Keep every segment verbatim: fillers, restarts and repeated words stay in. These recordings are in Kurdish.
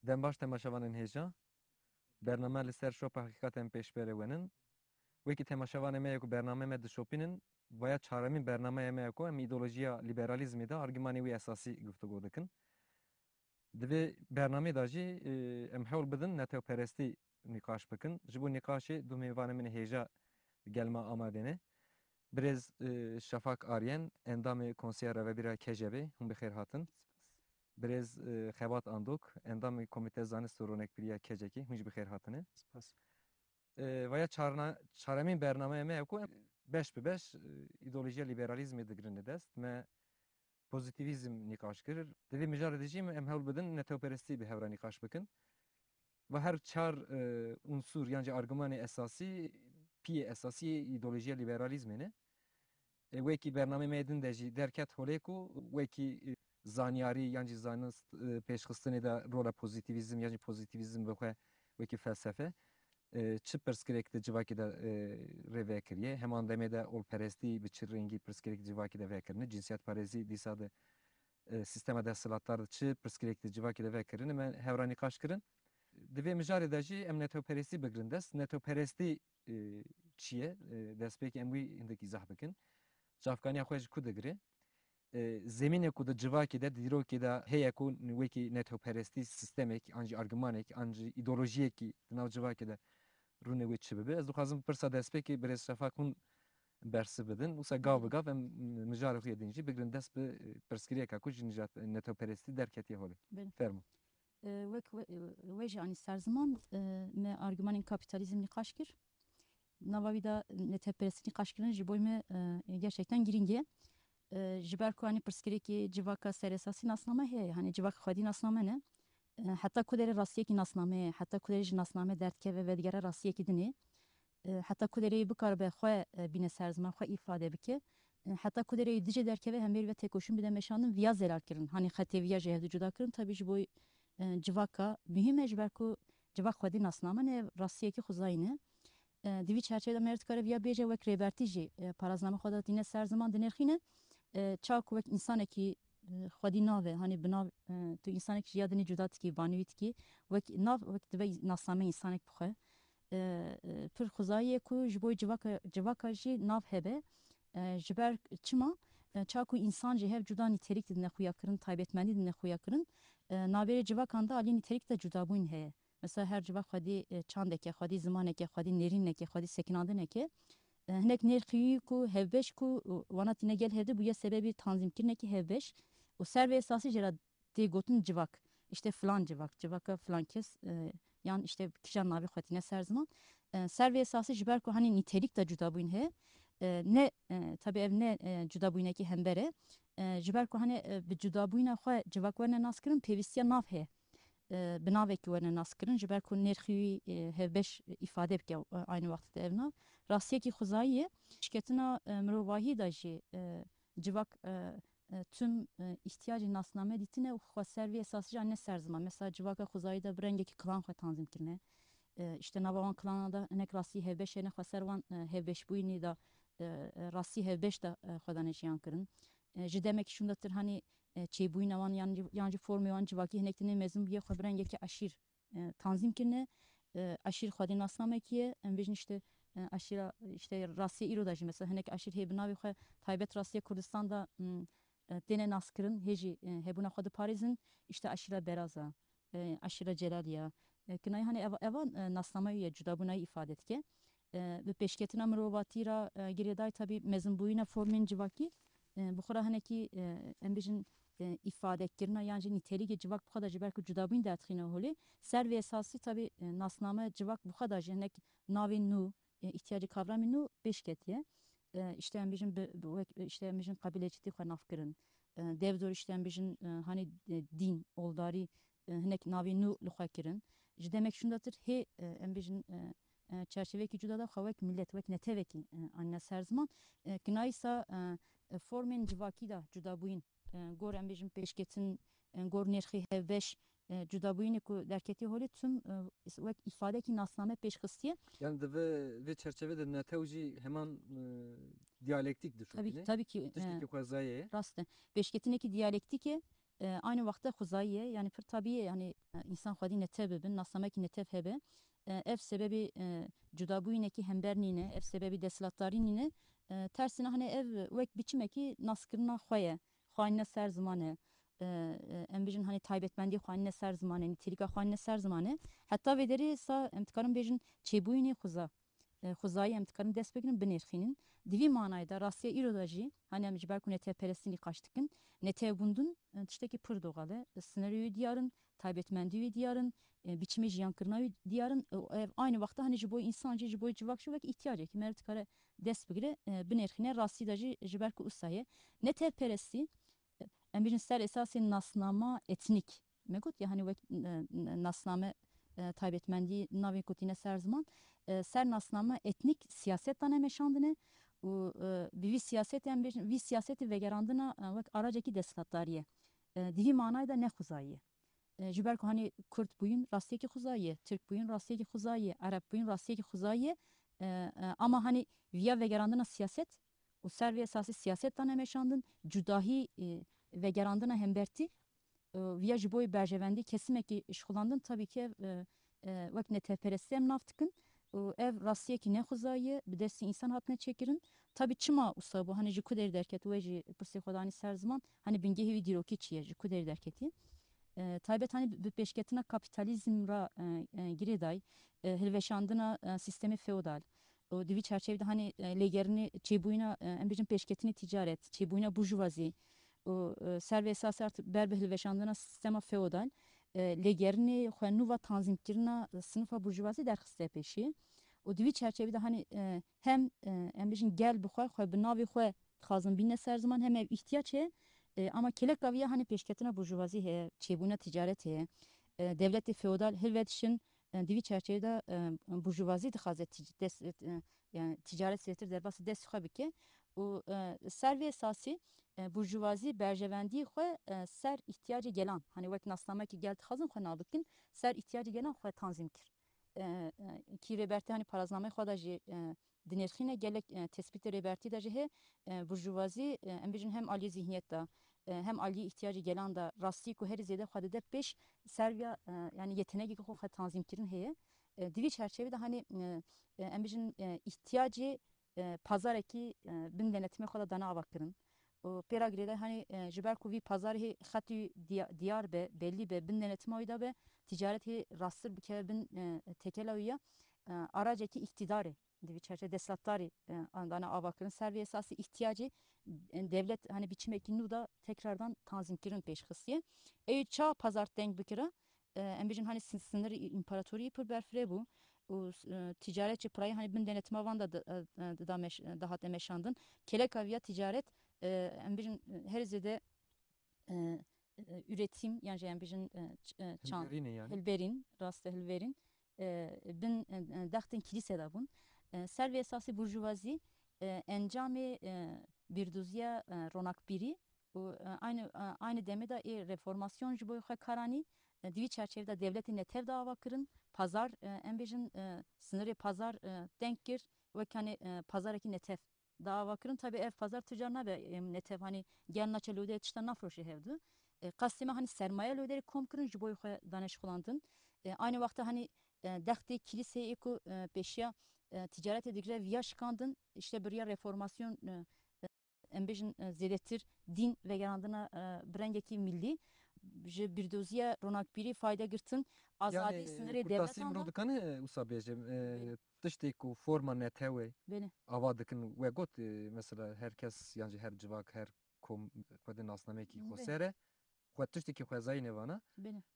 Dem baş temaşevanên hêja. Bername li ser şopa heqîqat em pêşberê wenin. Wekî temaşevanê me ye ku bername me dişopînin, vaya çaremîn bernameya me ye ku em îdeolojiya lîberalîzmê de argümanê wî esasî guftûgo dikin. Di vê bernameyê de jî, e, em hewl bidin netewperestî nîqaş bikin. Ji bo nîqaşê du mêvanê min ê hêja gel me amade ne. Birêz, e, Şafak Aryen, endamê Konseya Rêvebîra K J Bê, hûn bi xêr hatin. Birêz, e, Xebat Andok, endamê Komîte Zanist û Ronekbîriya K C K'ê, hûn jî bi xêr hatine. Spas. E, vaya çarna-, çaremîn bernameya me ye ku em beş bi beş, e, îdeolojiya lîberalîzmê digirine dest. Me pozîtîvîzm nîqaş kir. Di vê mijarê de jî em hewl bidin netewperestî bi hev re nîqaş bikin. Ve her çar, e, unsur yan jî argümanê esasî, piyê esasî yê îdeolojiya lîberalîzmê ne. E, wekî bernameyê me yê din de jî derket holê ku wekî, e, zanyarî yan jî zanist, e, pêşxistinê de rola pozîtîvîzm yan jî pozîtîvîzm bi xwe wekî felsefe, e, çi pirsgirêk di civakê de, e, rê vekiriye? Heman demê de olperestî bi çi rengî pirsgirêk di civakê de vekirine? Cinsiyetparêzî dîsa di, e, sîstema desthilatdar de çi pirsgirêk di civakê de vekirine? Me hev re nîqaş kirin. Di vê mijarê de jî em netewperestî bigirin dest. Netewperestî, e, çi ye? E, destpêkê em wî hindik îzah bikin. Çavkaniya xwe ji ku digire? E, zemînê ku di civakê de, di dîrokê de heye ku wekî netewperestî sîstemek, an jî argümanek, an jî îdeolojiyekî di nav civakê de rûnê wê çi bibe? Ez dixwazim pirsa destpêkê birêz Şafak hûn bersiv bidin. Wisa gav bi gav em mijarê xwe yê din jî bigirin dest bi, e, pirsgirêka ku ji nijad, e, netewperestî derketiye holê. Belê. Fermo. E, wek we, e, we jî anî ser ziman, e, me argümanên kapîtalîzm nîqaş kir. Nava wî de netewperestî nîqaş kirin ji bo me, e, gerçekten girîng e. E, ji ber ku, hani, pirsgirêkê civaka ser esasî nasname heye, hani, civaka xwedî nasname ne. E, heta ku derê rastiyekî nasname ye, heta ku derê ji nasname derdikeve vedigere rastiyekî dinê. E, heta ku derê bikaribe xwe, e, bîne ser ziman, xwe îfade bike. E, heta ku derê dijê derkeve hemberî ve têkoşîn bide meşandin, viya zelal kirin. Hani xetê viya ji hevdu cuda kirin, tabî ji bo, e, civaka muhîm e, ji ber ku civak xwedî nasname ne, rastiyekî xwezayî ne. E, di vî çerçevê de me dikare viya bêje wek Rêbertî jî, e, parazname xwe de tîne ser ziman dinirxîne. E, çawa ku wek însanekî, e, xwedî nave, hani bi nav, e, tu însanekî ji ya dinê cuda dikî, vanî wî dikî, wek nav, wek dibe nasname însanek bi xwe. E, e, pir xwezayî ye ku ji bo civaka, civaka jî nav hebe. E, ji ber çima? E, çawa ku însan ji hev cuda nîterîk didine xuya kirin, taybetmendî didine xuya kirin, e, navberê civakan de alî nîterîk de cudabûn heye. Mesela her civak xwedî, e, çandeke, xwedî zimaneke, xwedî nêrîneke, xwedî sekinandineke. E, hinek nêrxî ku hevbeş ku, e, wana tîne gel hevdî bûye sebebî tanzîmkirinekî hevbeş. Û ser vê esasî jê re tê gotin civak. İşte filan civak, civaka filan kes, e, yan işte kîjan navê xwe tîne ser ziman. E, ser vê esasî ji ber ku hani nîterîk de cudabûn heye, e, ne, e, tabi ev ne, e, cudabûnekî hember e. E, ji ber ku hani, e, bi cudabûna xwe civak werne naskirin, pêwîstiya nav heye. E, bi navekî werne naskirin, ji ber ku nêrxî wî, e, hevbeş îfade bike, e, aynî wextê de ev nav. Rastiyekî xwezayî ye. Şiketina, e, mirovahî de jî, e, civak, e, e, tim, e, îhtiyacê nasname dîtine û xwe ser vê esasî jî ne ser ziman. Mesela civaka xwezayî de bi rengekî klan xwe tanzîm kirine. E, işte nava wan klana de hinek rastî hevbeş hene, xwe ser wan, e, hevbeşbûyînê de, e, e, rastî hevbeş de, e, xwe dane jiyan kirin. E, ji demekî şûndetir hanî, e, çêbûyîna wan yan, yan jî formê wan civakî hinek tine mezin bûye xwe bi rengekî eşîr, e, tanzîm kirine. E, eşîr xwedî nasnamekî ye. Em bêjin işte, e, eşîra, işte rastiyê îro de jî mesela hinek eşîr hê bi navê xwe taybet rastiya Kurdistan de, m, e, têne naskirin, hê jî, e, hebûna xwe diparêzin, işte eşîra Beraza, e, eşîra Celaliya. E, kinayê hani ev-, evan, e, nasnameyê ye, cudabûnayî îfade dike. E, bi pêşketina mirovatî re, e, girêdayî tabî mezinbûyîna formên civakî, e, bi xwe re hinekî, e, em bêjin, e, îfadekirina yan jî nîterîkê civak bi xwe de ji ber ku cudabûyîn derdixîne holê. Ser vê esasî tabî, e, nasname civak bi xwe de jî hinek navên nû, e, îhtiyacê kavramê nû pêş ketiye. E, işte em bêjin bi, bi wek, işte em bêjin qebîlecîtî xwe nav kirin. E, devdor işte em bêjin, e, hanî, e, dîn, oldarî, e, hinek navên nû li xwe kirin. Ji demek şûndetir hê, e, em bêjin, e, e, çerçevekî cuda de xwe wek milet, wek netewekî, e, anîne ser ziman. E, kinayîsa, e, e, formên civakî de cudabûyîn, e, gor em bêjin pêşketin, e, gor nêrxî hevbeş, e, cudabûyînê ku derketiye holê tim, e, is-, wek îfadekî nasname pêş xistiye. Yani di vê, vê çerçeve de netew jî heman, e, diyalektîk dişopîne. Tabii, tabii ki, e, tiştekî xwezayê ye. Rast e. Pêşketinekî diyalektîk e. E, aynı wexta xwezayî ye, yanî pir tabî ye, yanî, e, însan xwedî netev bibin, nasnamekî netev hebe. E, ev sebebê, e, cudabûyînekî hember nîne, ev sebebê desthilatdarî nîne. E, tersine, hani ev wek biçimekî naskirina xwe ye, xwe anîne ser ziman e. E, e, em bijin, hani taybetmendî xwe anîne ser ziman e, nîtîlîka xwe anîne ser ziman e. Heta vê derê sa em dikarin bêjin çêbûyînê xweza. E, xwezayî em dikarin dest bigirin, binêrxînin. Di vî manayê de rastiya îro de jî, hani em ji ber ku netewperestî nîqaş dikin, netewbûndin, e, tiştekî pir doxal e. Sînorê wî diyar in, taybetmendî wî diyar in, e, biçimê jiyankirina wî diyar in. E, ev aynı wexta hani ji bo însan jî, ji bo civak jî wek îhtiyacekî meriv dikare dest bigire, e, binêrxîne. Rastî de jî ji ber ku usa ye. Netewperestî, e, em bijin ser esasê nasnama etnîk. Me got ya, hani wek, e, n-, nasname, e, taybetmendî navê ku tîne ser ziman, e, ser nasname etnîk siyaset dane meşandine û, e, bi vî siyasetê em bêjin, vî siyasetê vegerandina, e, wek aracekî desthilatdariyê. E, di vî manayê de ne xwezayî ye. E, ji ber ku hani Kurd bûyîn rastiyekî xwezayî ye, Tirk bûyîn rastiyekî xwezayî ye, Ereb bûyîn rastiyekî xwezayî ye. E, e, ama hani viya vegerandina siyaset û ser vê esasî siyaset dane meşandin, cudahî, e, vegerandina hembertî, e, viya ji bo berjevendî kesimekî şixulandin, tabî ki ev, e, e, wek netewperestî em nav dikin û ev rastiyekî nexwezayî ye, bi destî însan hatine çêkirin. Tabî çima wisa bû, hani ji ku derê derket, we jî pirsê xwe danî ser ziman, hani bingehê wî dîrokî çi ye, ji ku derê derketî? E, taybet hani bi, bi pêşketina kapîtalîzm re, e, e, girêdayî, e, hilweşandina, e, sîstemê feodal, û di vî çerçevê de hani, e, lêgerînê çêbûyîna, e, em bêjin pêşketinê tîcaret, çêbûyîna burjuvazî û, e, ser vê esasê art ber bi hilweşandina sîstema feodal, e, lêgerînê xwe nû ve tanzîmkirina, e, sinifa burjuvazî derxiste pêşî. Û di vî çerçevê de hani, e, hem, e, em bêjin gel bi xwe, xwe bi navê xwe dixwazin bîne ser ziman, hem ev îhtiyac heye, e, ama keleka vî ya hani pêşketina burjuvazî heye, çêbûna tîcaret heye, e, dewletê feodal hilvedişin, e, di vî çerçevê de, e, burjuvazî dixwaze tic-, dest, e, yani ticaret zêtir derbasî dest xwe bike û, e, ser vê esasî, e, burjuvazî berjevendî xwe, e, ser îhtiyacê gelan, hani wek nasnamekî gel dixwazin xwe nav bikin, ser îhtiyacê gelan xwe tanzîm kir. E, e, kî Rêbertî hani paraznameyê xwe de jî, e, dinêrxîne gelek, e, tespîtê Rêbertî de jî hê, e, burjuvazî, e, em bêjin hem aliyê zihniyet de, e, hem aliyê îhtiyacê gelan de rastî ku herî zêde xwe dide pêş ser vîya, e, yani yetenekê ku xwe tanzîm kirin heye. E, di vî çerçevê de hani, e, e, em bêjin, e, îhtiyacê, e, pazarekî, e, bin denetimê xwe de dane ava kirin. Û pê re girêdayî hani, e, ji ber ku vî pazarê hê xetî diya-, diyar be, belî be, bin denetima wî de be, ticaret hê rasttir bikeve bin, e, tekela wî ya, e, aracekî îktîdarê di vî çerçe desthilatdarî, e, dane ava kirin. Ser vê esasî îhtiyacê, e, dewlet hani biçimekî nû de tekrardan tanzîmkirin pêş xistiye. Ewî ça pazar teng bikira, e, em bêjin hani sin-, sinirê împaratoriyê pir berfireh bû û, e, ticaret jî pirayî hani bin denetima van de di-, e, e, dida meş-, e, dihate meşandin. Keleka viya ticaret, e, em bêjin, e, herî zêde, e, e, üretim, yan jî em bêjin, e, ç-, e, çand, hilberîn e yani. Hilberîn, rast e, hilberîn, e, bin, e, e, dextên kilîse de bûn. E, ser vê esasî burjuvazî, e, encamê, e, bîrdoziya, e, ronakbîrî û, e, aynı, e, aynı demê de ê reformasyon ji bo xwe karanî, e, di vî çerçevê de dewletê netev de ava kirin, pazar, e, em bêjin, e, sinirê pazar, e, teng kir, wek hani, e, pazarekî netev de ava kirin. Tabi ev pazar tu car nabe, em, netev hani gel naçe lodeyê tişta nafroşe hevdu. E, qasê me hani sermaye lodeyê kom kirin ji bo xwe dane şixulandin. E, aynı wexta hani, e, dextê kilîseyê ku, e, pêşiya, e, ticaretê digire viya şikandin, işte bi riya reformasyon, e, e, em bêjin, e, zêdetir dîn vegerandina, e, bi rengekî millî, ji bîrdoziya ronakbîrî fayde girtin, azadî, yani, e, sinirê dewletan de. Kurtasî mirov dikane, e, wisa bêje, e, tiştê ku forma netewê ava dikin, we got, e, mesela her kes, yan jî her civak, her kom xwedê nasnameyekî xweser e. Xwe tiştekî xwezayî nêvana.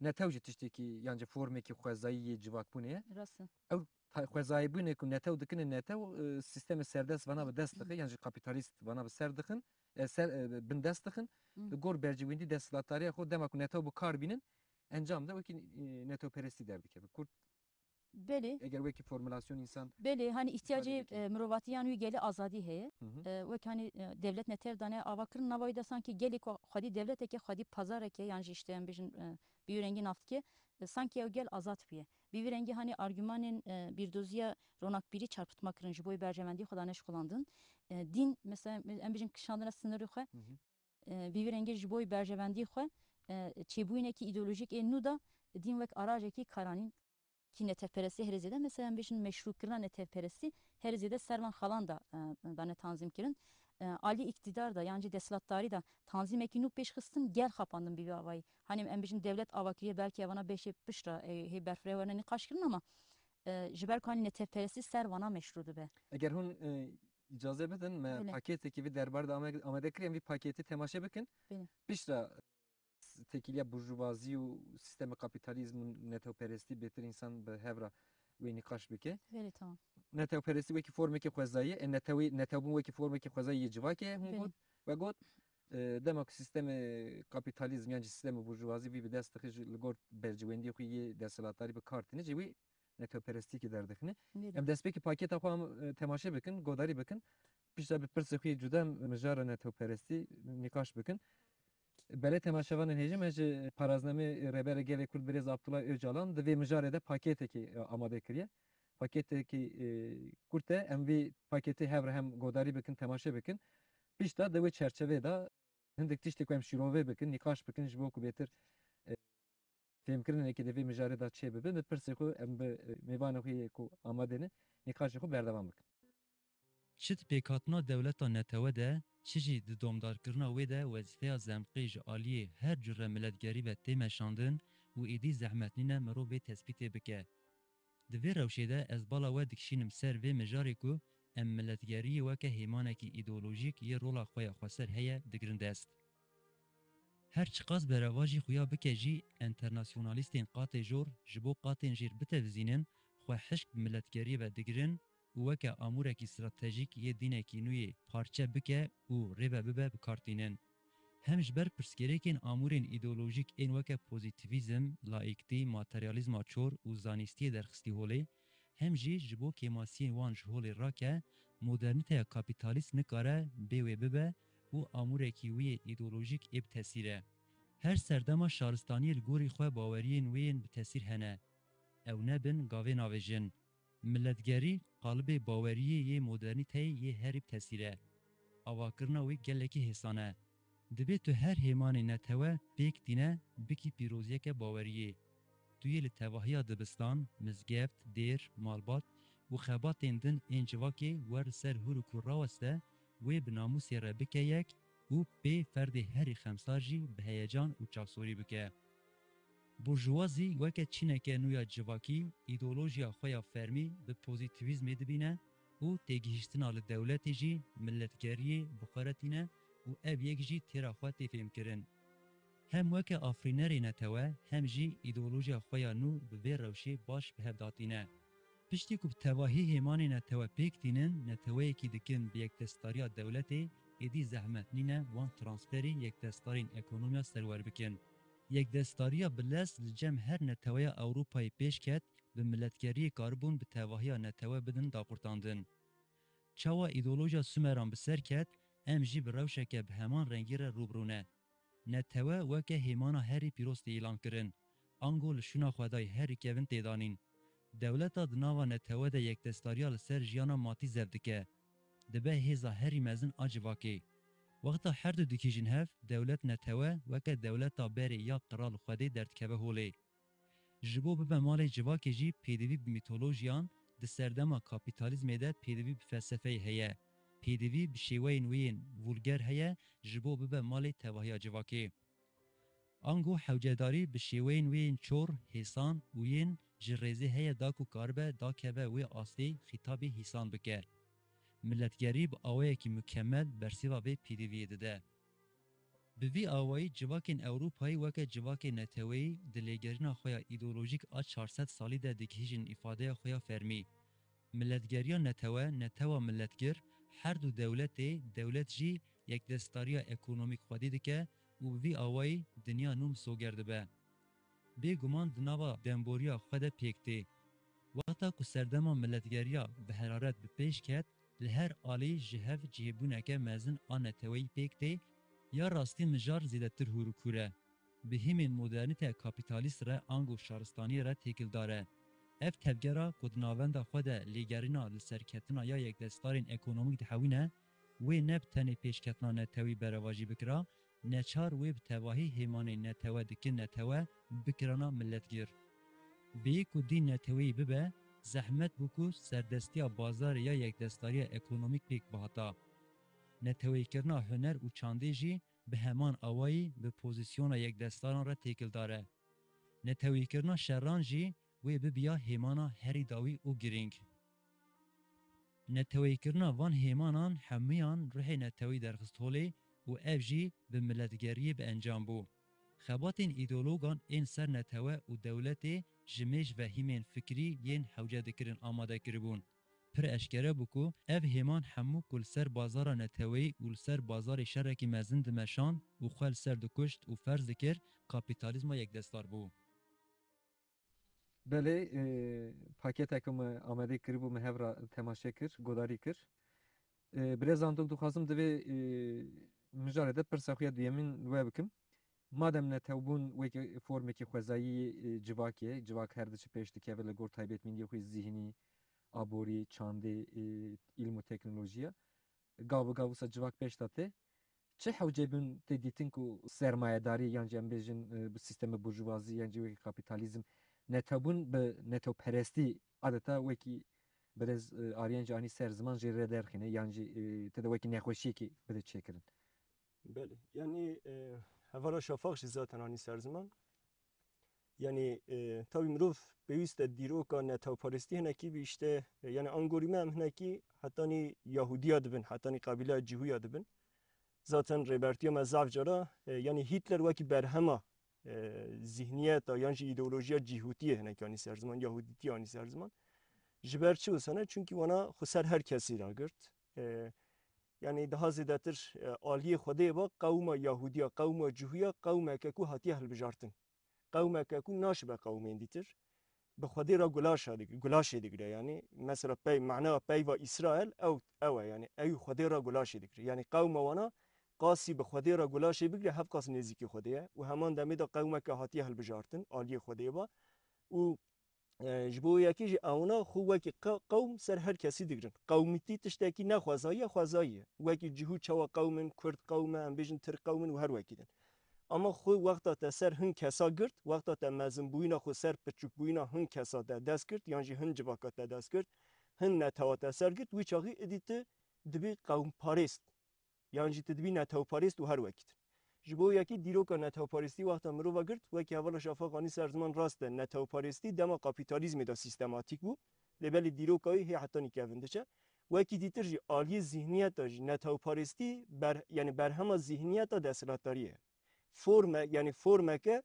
Netew jî tiştekî, yan jî formekî xwezayî yê civakbûnê ye. Rast e. Ew ta-, xwezayîbûnê ku netew dikine netew, e, sîstemê serdest vana bi dest dixe, yan jî kapîtalîst vana bi ser dixin, e, ser, e, bin dest dixin. Li gor berjewendî desthilatdariya xwe dema ku netew bi kar bînin, encam de wekî, e, netewperestî derdikeve. Kurd Belê. Eger wekî formulasyon însan Belê, hani îhtiyacê, e, mirovatiyan wî gelî azadî heye. Hı hı. E, wek hani, e, dewlet netev dane ava kirin, nava wî de sankî gelê ku xwedî dewleteke, xwedî pazareke, yan jî işte em bêjin, e, bi wî rengî nav dike, e, sankî ew gel azad bûye. Bi vî rengî hani argümanên, e, bîrdoziya ronakbîrî çarpitma kirin, ji bo berjewendî xwe dane şixulandin. E, dîn, mesela em bêjin kişandina sinirê xwe, Hı hı. e, bi vî rengî ji bo berjewendî xwe, e, çêbûyînekî îdeolojîk ê nû de dîn wek arajekî karanîn kî netewperestî herê zêde, mesela em bêjin meşrûkirina netewperestî herê zêde ser van xalan da, e, dane tanzîm kirin. E, alî îktîdar da yan jî desthilatdarî da tanzîmekî nû pêş xistin gel xapandin bi vî avayî. Hanî em bêjin dewlet ava kiriye belkî evana beşê pişt re, e, hê berfireh werne nîqaş kirin ama, e, ji ber ku hanî netewperestî ser vana meşrû dibe. Eger hûn, e, îcaze bidin, me Belê. Pakêtekî vî derbar de ame-, amade kiriye, em vî pakêtî temaşe bikin. Belê. Piştre têkiliya burjuvazî û sîstemê kapîtalîzm û netewperestî bêtir însan bi hev re wê nîqaş bike. Belê, tamam. Netewperestî wekî formekî xwezayî ye, e, netewî, netewbûn wekî formekî xwezayî yê civakê ye, hûn Belê. Got. Ve got, e, dema ku sîstemê kapîtalîzm yan jî sîstemê burjuvazî vî bi dest dixî, ji li gor bercewendiyê xwe yê desthilatdarî bi kar tîne, jî wî netewperestîkî derdixîne. Belê. Em destpêkî pakêta xwe em, e, temaşe bikin, godarî bikin. Piştre bi pirsê xwe yê cuda em mijara netewperestî nîqaş bikin. Belê temaşevanên hêja, me ji paraznamê Rêberê Gelê Kurd Birêz Abdullah Ocalan di vê mijarê de pakêtekî, e, amade kiriye. Pakêtekî, e, kurt e. Em vî pakêtê hev re hem godarî bikin, temaşe bikin. Piştre di wê çerçevê de hindik tiştê ku em şîrove bikin, nîqaş bikin, ji bo ku bêtir, e, fêmkirinekê di vê mijarê de çêbibe, bi pirsê xwe em bi, e, mêvanê xwe yê ku amade ne, nîqaşê xwe berdewam bikin. Çi di pêkhatina dewleta netewe de, çi jî di domdarkirina wê de wezîfeya zemqê ji aliyê her cure miletgerî ve tê meşandin û êdî zehmet nîne mirov vê tespîtê bike. Di vê rewşê de ez bala we dikişînim ser vê mijarê ku em miletgeriyê weke hêmanekî îdeolojîk yê rola xwe ya xweser heye digirin dest. Her çiqas berevajî xuya bike jî, enternasyonalîstên qatê jor ji bo qatên jêr bitevizînin, xwe hişk bi miletgeriyê ve digirin û weke amûrekî stratejîk yê dînekî nû yê parçe bike û rê ve bibe bikartînin. Hem ji ber pirsgirêkên amûrên îdeolojîk ên weke pozîtîvîzm, laîktî, materyalîzma çor û zanîstiyê derxistî holê, hem jî ji bo kêmasiyên wan ji holê rake, modernîteya kapîtalîst nikare bê wê bibe û amûrekî wî yê îdeolojîk ê bi tesîr e. Her serdema şaristaniyê li gorî xwe baweriyên wê yên bi tesîr hene. Ew nebin gavê navêjin. Miletgerî qalibê baweriyê yê modernîteyê yê herî bi tesîr e. Avakirina wê gelekî hêsan e. Divê tu her hêmanê netewe pêk tîne bikî pîroziyeke baweriyê. Tu yê li tevahiya dibistan, mizgeft, dêr, malbat û xebatên din ên civakê wer li ser hûr û kûr raweste, wê bi namûsê re bike yek û pê ferdê herî xemsar jî bi heyecan û çavsorî bike. Burjuvazî weke çîneke nû ya civakî, îdeolojiya xwe ya fermî bi pozîtîvîzmê dibîne û têgihîştina li dewletê jî miletgeriyê bi xwe re tîne û ev yek jî têra xwe tê fêmkirin. Hem weke afirînerê netewe, hem jî îdeolojiya xwe ya nû bi vê rewşê baş bi hev datîne. Piştî ku bi tevahî hêmanê netewe pêk tînin, neteweyekî dikin bi yekdestdariya dewletê, êdî zehmet nîne wan transferî yekdestdarên ekonomiya serwer bikin. Yekdestdariya bi lez li cem her neteweya Ewropayê pêş ket, bi miletgeriyê karibûn bi tevahiya netewe bidin daqurtandin. Çawa îdeolojiya Sumeran bi ser ket, em jî bi rewşeke bi heman rengî re rû bi rû ne. Netewe weke hêmana herî pîroz tê îlan kirin. Ango li şûna xwedayî herî kevin tê danîn. Dewleta di nava netewe de yekdestdariya li ser jiyana matî zevdike. Dibe hêza herî mezin a civakê. Wexta her du dikîjin hev, dewlet netewe weke dewleta berê ya qral xwedê derdikeve holê. Ji bo bibe malê civakê jî pêdivî bi mîtolojiyan, di serdema kapîtalîzmê de pêdivî bi felsefeyê heye. Pêdivî bi şêweyên wê yên vulger heye, ji bo bibe malê tevahiya civakê. Ango hewcedarî bi şêweyên wê yên çor, hêsan û yên ji rêzê heye da ku karibe dakeve wê astê xîtabê hîsan bike. Miletgerî bi awayekî mukemel bersiva vê pêdiviyê dide. Bi vî awayî civakên Ewropayî weke civakê neteweyî di lêgerîna xwe ya îdeolojîk a çar sed salî de digihîjin îfadeya xwe ya fermî. Miletgeriya netewe, netewa miletgir, her du dewletê, dewlet jî yekdestdariya ekonomîk xwedî dike û bi vî awayî dinya nû misoger dibe. Bêguman di nava demboriya xwe de pêk tê. Wexta ku serdema miletgeriya bi heraret bi pêş ket, li her alî ji hev cihêbûneke mezin a neteweyî pêk tê, ya rastî mijar zêdetir hûr û kûr e. Bi hîmên modernîteya kapîtalîst re ango şaristaniyê re têkildar e. Ev tevgera ku di navenda xwe de lêgerîna li serketina ya yekdestarên ekonomîk dihewîne, wê ne bi tenê pêşketina netewî berevajî bikira, neçar wê bi tevahî hêmanên netewe dikin netewe bikirana milletgir. Bêyî ku dîn neteweyî bibe, zehmet bû ku serdestiya bazarê ya yekdestdariya ekonomîk pêk bihata. Neteweyîkirina huner û çandê jî bi heman awayî bi pozîsyona yekdestaran re têkildar e. Neteweyîkirina şeran jî wê bibiya hêmana herî dawî û girîng. Neteweyîkirina van hêmanan hemûyan ruhê netewî derxist holê û ev jî bi miletgeriyê bi encam bû. Xebatên îdeologan ên ser netewe û dewletê ji mêj vehîmên fikrî yên hewce dikirin amade kiribûn. Pir eşkere bû ku ev hêman hemû ku li ser bazara neteweyî û li ser bazarê şerekî mezin dimeşand û xwe li ser dikuşt û ferz dikir, kapîtalîzma yekdestar bû. Belê, e, paketeke me amadê kiribû, me hev re temaşe kir, godarî kir. E, birêzan dil dixwazim divê, e, mijarê de pirsa xwe ya duyemîn li we bikim. Madem netewbûn wekî formekî xwezayî, e, civakê, civak her diçe pêş dikeve li gor taybetmendiyê xwe zîhnî, aborî, çandê, e, îlm û teknolojiya, gav bi gav wisa civak pêş de tê. Çi hewcebûn tê dîtin ku sermayedarî yan jî em bêjin, e, bi sîstemê burjuvazî yan jî wekî kapîtalîzm netewbûn bi netewperestî adeta wekî birêz, e, Aryan jî anî ser ziman jê re derxîne yan jî, e, tê de wekî nexweşiyekê bide çêkirin? Belê. Yanî, e, hevala Şafaq jî zaten anî ser ziman. Yanî, e, tabî mirov pêwîst e dîroka netewperestî hinekî bî îşte, e, yanî angorî me em hinekî hetanî Yahûdiya dibin, hetanî qebîleya Cîhûya dibin. Zaten rêbertiya me zaf cara, e, yanî Hîtler wekî berhema, e, zîhniyeta yan jî îdeolojiya Cîhûtiyê hinekî anî ser ziman, Yahûdîtiyê anî ser ziman. Ji ber çi wisa ne? Çunkî wana xwe ser her kesî ragirt. E, yanî daha zêdetir, e, aliyê Xwedê ba qewma Yahûdiya, qewma Cihûya, qewmeke ku hatiye hilbijartin. Qewmeke ku naşibe qewmên dîtir. Bi Xwedê re gulaşa dig-, gulaşê digire. Yanî mesela pey, mana peyva Îsrael ew, ew e. Yanî ew Xwedê re gulaşê digire. Yanî qewma wana qasî bi Xwedê re gulaşê bigire, hev qas nêzîkî Xwedê ye. Û heman demê de qewmeke hatiye hilbijartin, aliyê Xwedê ba. Û E, ji bo yekê jî ewna xwe wekî qe-, qewm ser her kesî digirin. Qewmîtî tiştekî ne xwezayî ye, xwezayî ye. Wekî cihû çawa qewm in, kurd qewm e, em bêjin tirk qewm in û her wekî din. Ama xwe wexta te ser hin kesa girt, wexta te mezinbûyîna xwe ser piçûkbûyîna hin kesa te dest girt, yan jî hin civaka te dest girt, hin netewa te ser girt, wî çaxî idî tu dibî qewmparêst. Yan jî tu dibî netewparêst û her wekî din. Ji bo yekî dîroka netewparêstî wexta mirova girt, wekî hevala Şafaq anî ser ziman rast e, netewparêstî dema kapîtalîzmê de sîstematîk bû, lê belê dîroka wî hê hetanî kevin diçe. Wekî dîtir jî aliyê zîhniyeta jî netewparêstî ber, yanî berhema zîhniyeta desthilatdariyê ye. Forme, yanî formeke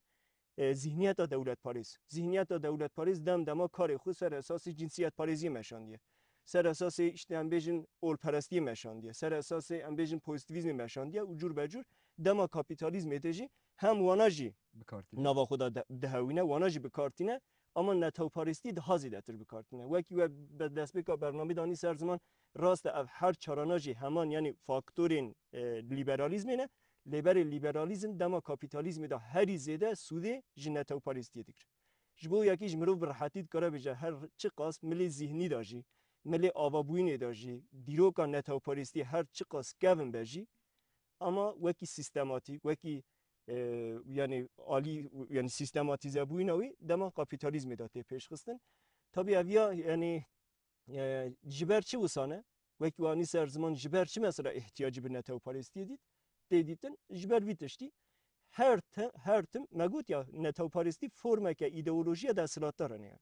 e, zihniyeta dewletparêz. Zihniyeta dewletparêz dem dema karê xwe ser esasê cinsiyetparêziyê meşandiye. Ser esasê işte em bêjin olperestiyê meşandiye. Ser esasê em bêjin pozîtîvîzmê meşandiye û cûr be cûr dema kapîtalîzmê de jî hem wana jî nava xwe de dihewîne, wana jî bi kar tîne, ama netewparêstî daha zêdetir bi kar tîne. Wekî we bi destpêka bernamê de anî ser ziman, rast e ev her çarana jî heman yanî faktorên, e, lîberalîzmê ne. Lê berê lîberalîzm dema kapîtalîzmê de herî zêde sûdê ji netewparêstiyê digire. Ji bo yekî ji mirov bi rehetî dikare bêje her çiqas milê zîhnî de jî, milê avabûyînê de jî, dîroka netewparêstiyê her çiqas kevin be jî, ama wekî sîstematîk, wekî, e, yanî alî, yanî sîstematîzebûyîna wî dema kapîtalîzmê de tê pêşxistin. Tabî ev ya, yanî e, ji ber çi wisa ne? Wekî we anî ser ziman ji ber çi mesela îhtiyacî bi netewparêstiyê dît? Tê dîtin ji ber vî tiştî her te-, her tim me got ya netewparêstî formeke îdeolojiya desthilatdar e ne.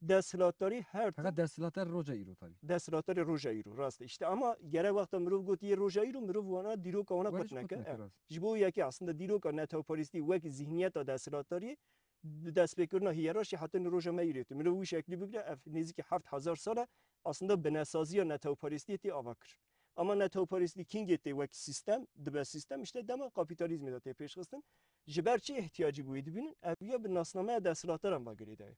Desthilatdarî her tim. Feqet desthilatdar roja îro tabî. Desthilatdarê roja îro, rast e. Îşte ama gere wexta mirov got yê roja îro, mirov wana dîroka wana qut neke. Ji bo yekê aslında dîroka netewparêstî wekî zihniyeta desthilatdarî bi destpêkirina hiyerarşî hetanî roja me îrê tê. Mirov wî şeklî bigire, ev nêzîkî heft hezar sal e, aslında binesaziya netewparêstiyê tê ava kir. Ama netewparêstî kîngê tê wek sîstem, dibe sîstem, işte dema kapîtalîzmê de tê pêşxistin. Ji ber çi ihtiyacî bûyî dibînin? Ev ya bi nasnameya desthilatdaran ve girêdaye.